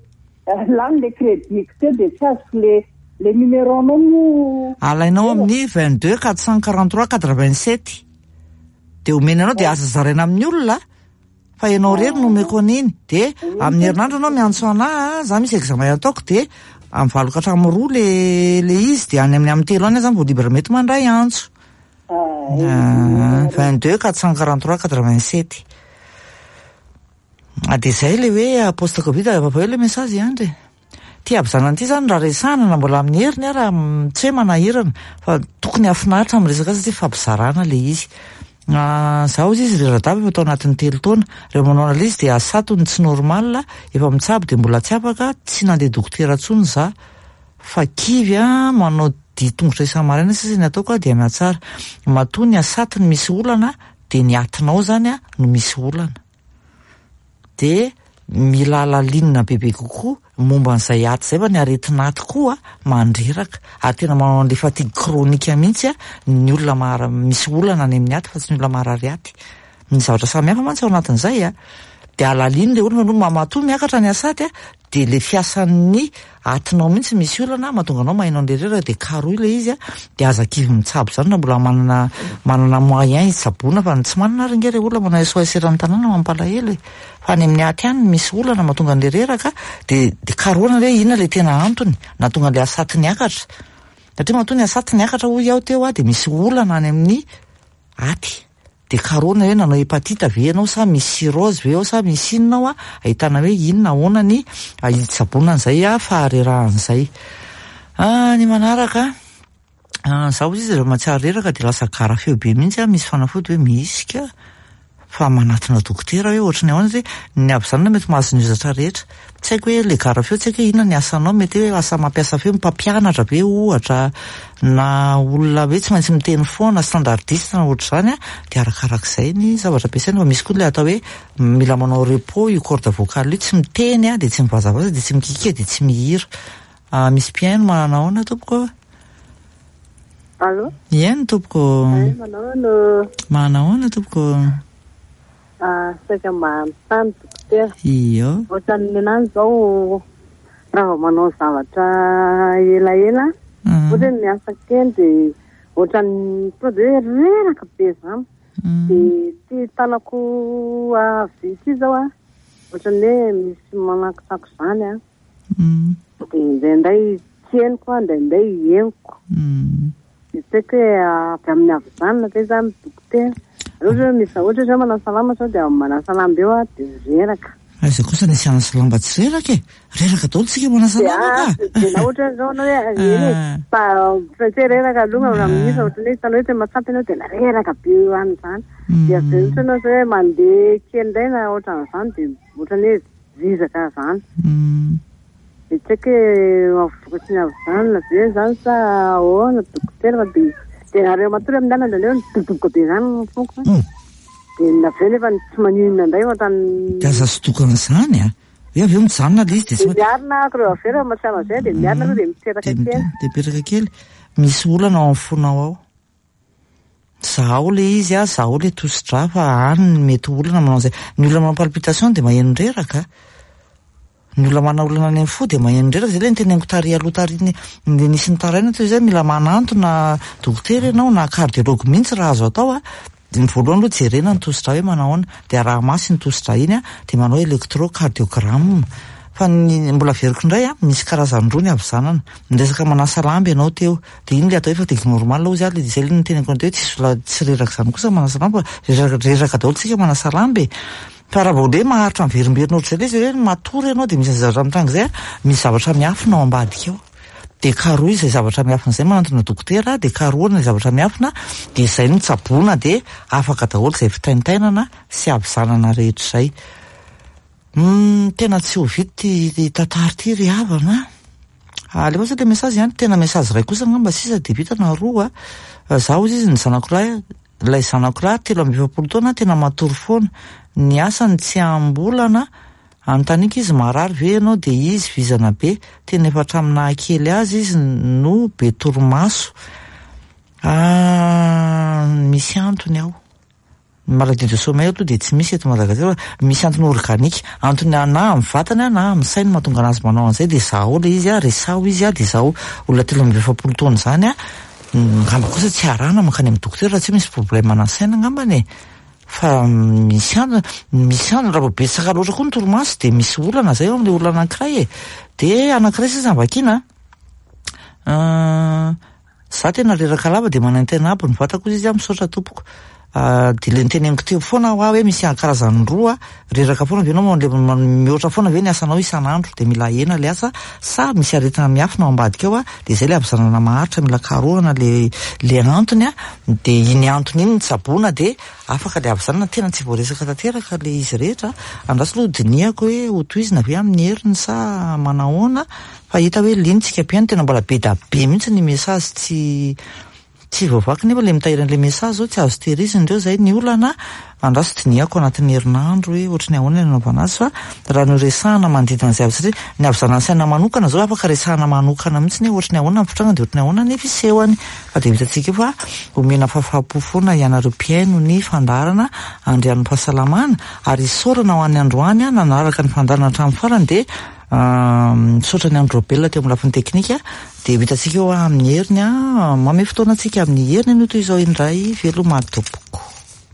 lany le crédit teo dia tsy azoko le le numéro anao mo. Alainao amin'ny vingt-deux quatre cent quarante-trois quatre-vingt-sept. Dia omena anao, dia aza zaraina amin'ny olona, fa ianao rery no omeko an'iny. Dia amin'ny herinandro anao miantso anahy, za misy examen ataoko, dia amin'ny valo ka hatramin'ny roa le le izy, dia any amin'ny amin'ny telo any zany vao libre mety mandray antso. Vingt-deux quatre cent quarante-trois quatre-vingt-sept. Ah, dia zay le hoe post Covid, avao le message ihany re. Ty havizanana ity zany raha resahana na mbola amin'ny heriny a, raha tsy hoe manahirana, fa tokony hahafinaritra amin'ny resaka azy satria fampizarana le izy. Zaho izy izy rera-dava efa tao anatin'ny telo taona. Rehefa manao an'ilay izy dia asatony tsy normal, efa mitsabo dia mbola tsy afaka, tsy nandeha dokotera intsony za. Fa kivy a, manao dia tongotra isa-maraina sisa ny ataoko a, dia mihatsara. Matoa ny asatony misy olana, dia ny atinao zany a no misy olana. Dia mila alalinina bebe kokoa momba an'izay aty izay, fa ny aretina aty koa mandreraka, ary tena manao an'ilay fatigue chronique mihitsy a ny olona mara- misy olana any amin'ny aty, fa tsy ny olona marary aty. Ny zavatra samihafa mantsy ao anatin'izay a, dia alalino ilay olona aloha, matoa miakatra ny asaty a, dia le fiasan'ny atinao mihitsy misy olana mahatonga anao maheno an'ilay reraka, dia karohy ilay izy a, dia aza kivy mitsabo zany raha mbola manana, manana moyen hitsaboana, fa ny tsy manana ary nge ilay olona manao S O S eran'ny tanàna mampalahelo e. Fa any amin'ny aty ihany misy olana mahatonga an'ilay reraka, dia, dia karohana hoe inona ilay tena antony nahatonga an'ilay asaty niakatra. Satria matoa ny asaty niakatra hoy aho teo a, dia misy olana any amin'ny aty. Dia karohana hoe nanao hépatite ve ianao, sa misy cirrhose ve ao, sa misy inona ao a, ahitana hoe inona ahoana ny hitsaboana an'izay a, faharerahan'izay. Ah, ny manaraka, ah, zaho izy rehefa mahatsiaro reraka dia lasa gara feo be mihitsy a, misy fanafody hoe misy ka, fa manatona dokotera hoe ohatran'ny ahoana izy, ny havizanana mety mahazo ny ozatra rehetra. Tsy haiko hoe le gara feo, tsy haiko hoe inona ny asanao, mety hoe asa mampiasa feo, mpampianatra ve ohatra, na olona hoe tsy maintsy miteny foana, standardiste na ohatr'izany a, dia arakarak'izay ny zavatra ampiasaina. Fa misy koa ilay atao hoe mila manao repos io corde vocale io, tsy miteny a, dia tsy mivazavaza, dia tsy mikikia, dia tsy mihira. Ah, misy mpihaino manana ahoana tompoko? Allô? Eny tompoko. Eh, manao ahoana? Manana ahoana tompoko? Ah, saika manontany dokotera. Io. Ohatran'ny nenany zao raha vao manao zavatra elaela, ohatra hoe miasa kely dia ohatran'ny tonga dia hoe reraka be zany. Dia ty tanako havia ity zao a, ohatran'ny hoe misy manakotsako zany a. Dia indraindray tsy henoko a, indraindray henoko. Dia tsy haiko hoe avy amin'ny havizanana ve zany dokotera. Ohatra hoe misy ohatra hoe manasa lamba sao dia manasa lamba eo a, dia reraka. Aiza kosa nisy hanasa lamba tsy reraka e? Reraka daholo tsika manasa lamba ka. Dia na ohatra hoe zao anao hoe eny e, fa tsy hoe reraka aloha raha misy ohatra hoe hitanao hoe tena mahatsapa ianao dia reraka be eo any izany. Dia avy eo ohatra ianao zao hoe mandeha kely indray na ohatran'izany dia ohatran'ny hoe vizaka izany. Dia tsy haiko hoe vokatry ny havizanana ve izany sa ahoana dokotera, fa dia Dia nareo matory amin'ny alina indraindray midobodoboka be izany ny foko. Dia avy eo nefa tsy maninona indray ohatrany. Dia aza sotokana izany a. Hoe avy eo mijanona ilay izy dia tsy. Miarina ako reo avy eo raha mahatsiaro an'izay dia miarina aloha dia mipetraka kely. Dia mipetraka kely. Misy olana ao amin'ny fonao ao. Zaho ilay izy a, zaho ilay tosi-drà fa any ny mety olana manao an'izay. Ny olona manao palpitation dia maheno reraka. Ny olona manana olana any amin'ny fo dia maheno reraka. Izay ilay niteneniko tary aloha tary iny, ny nisy nitaraina teo izay, mila manantona dokotera ianao na cardiologue mihitsy raha azo atao a. Dia ny voalohany aloha jerena ny tosi-drà hoe manao ahoana, dia araha-maso iny tosi-drà iny a, dia manao électrocardiogramme. Fa ny mbola averiko indray a, misy karazany roa ny havizanana. Ny resaka manasa lamba ianao teo, dia iny ilay atao hoe fatigue normale hozy aho, izay ilay niteneniko anao teo hoe tsisy la-, tsy reraka izany kosa manasa lamba, reraka, reraka daholo tsika manasa lamba e. Fa raha vao hoe maharitra miverimberina ohatr'izay ilay izy hoe matory ianao dia misy zavatra mitranga izay a, misy zavatra miafina ao ambadika ao. Dia karohy izay zavatra miafina izay, manantona dokotera, dia karohina izay zavatra miafina, dia izay no tsaboina, dia afaka daholo izay fitaintainana sy havizanana rehetra izay. Hmm, tena tsy ho vita ity tantara ity ry havana. Alefa sao ilay message ihany, tena message iray kosa angamba sisa dia vita na roa. Zaho hozy izy ny zanako lahy, ilay zanako lahy telo amby efapolo taona tena matory foana. Ny asany tsy ambolana, anontaniako izy marary ve ianao dia izy vizana be, tena efa hatramin'ny nahakely azy izy no be torimaso. Ah, misy antony ao. Ny maladie de sommeil aloha dia tsy misy eto Madagasikara, fa misy antony organique, antony na amin'ny vatana na amin'ny saina mahatonga anazy manao an'izay, dia zaho ilay izy a, resaho izy a, dia zaho olona telo amby efapolo taona izany a, angamba kosa tsy arahana mankany amin'ny dokotera raha tsy misy problème na saina angambany e. Fa misy antony, misy antony raha vao betsaka loatra koa ny torimaso dia misy olana izay eo amin'ilay olona anankiray e. Dia anankiray sisa vakiana. Ah, za tena reraka lava dia manaintaina aby ny vatako izy a, misaotra tompoko. Ah, dia ilay niteneniko teo foana aho hoe misy karazany roa, reraka foana ve ianao, mihoatra foana ve ny asanao isan'andro, dia mila ahena ilay asa, sa misy aretina miafina ao ambadika ao a, dia izay ilay havizanana maharitra, mila karohana le, le antony a, dia iny antony iny ny tsaboina dia afaka ilay havizanana. Tena tsy voaresaka tanteraka ilay izy rehetra. Andraso aloha dinihako hoe hotohizina ve amin'ny heriny sa manahoana, fa hita hoe lintsika mpihaino tena mbola be da be mihitsy ny message tsy tsy voavaky, nefa ilay mitahiry an'ilay message zao tsy azo tehirizina ireo, izay ny olana. Andraso dinihako anatin'ny herinandro hoe ohatry ny ahoana ny anaovana azy, fa raha noresahana manodidina an'izay avy, satria ny havizanana saina manokana zao afaka resahana manokana mihitsy hoe ohatry ny ahoana ny fitrangany, dia ohatry ny ahoana ny fisehony. Fa dia hitantsika eo fa omena fahafaham-po foana ianareo mpihaino ny fandaharana Andrian'ny Fahasalamana, ary isaorana ho an'ny androany a, nanaraka ny fandaharana hatramin'ny farany, dia misaotra ny Andro Robelona teo amin'ny lafiny teknika. Dia ho hitantsika eo amin'ny heriny a, manome fotoana antsika amin'ny heriny anio toy izao indray. Veloma tompoko.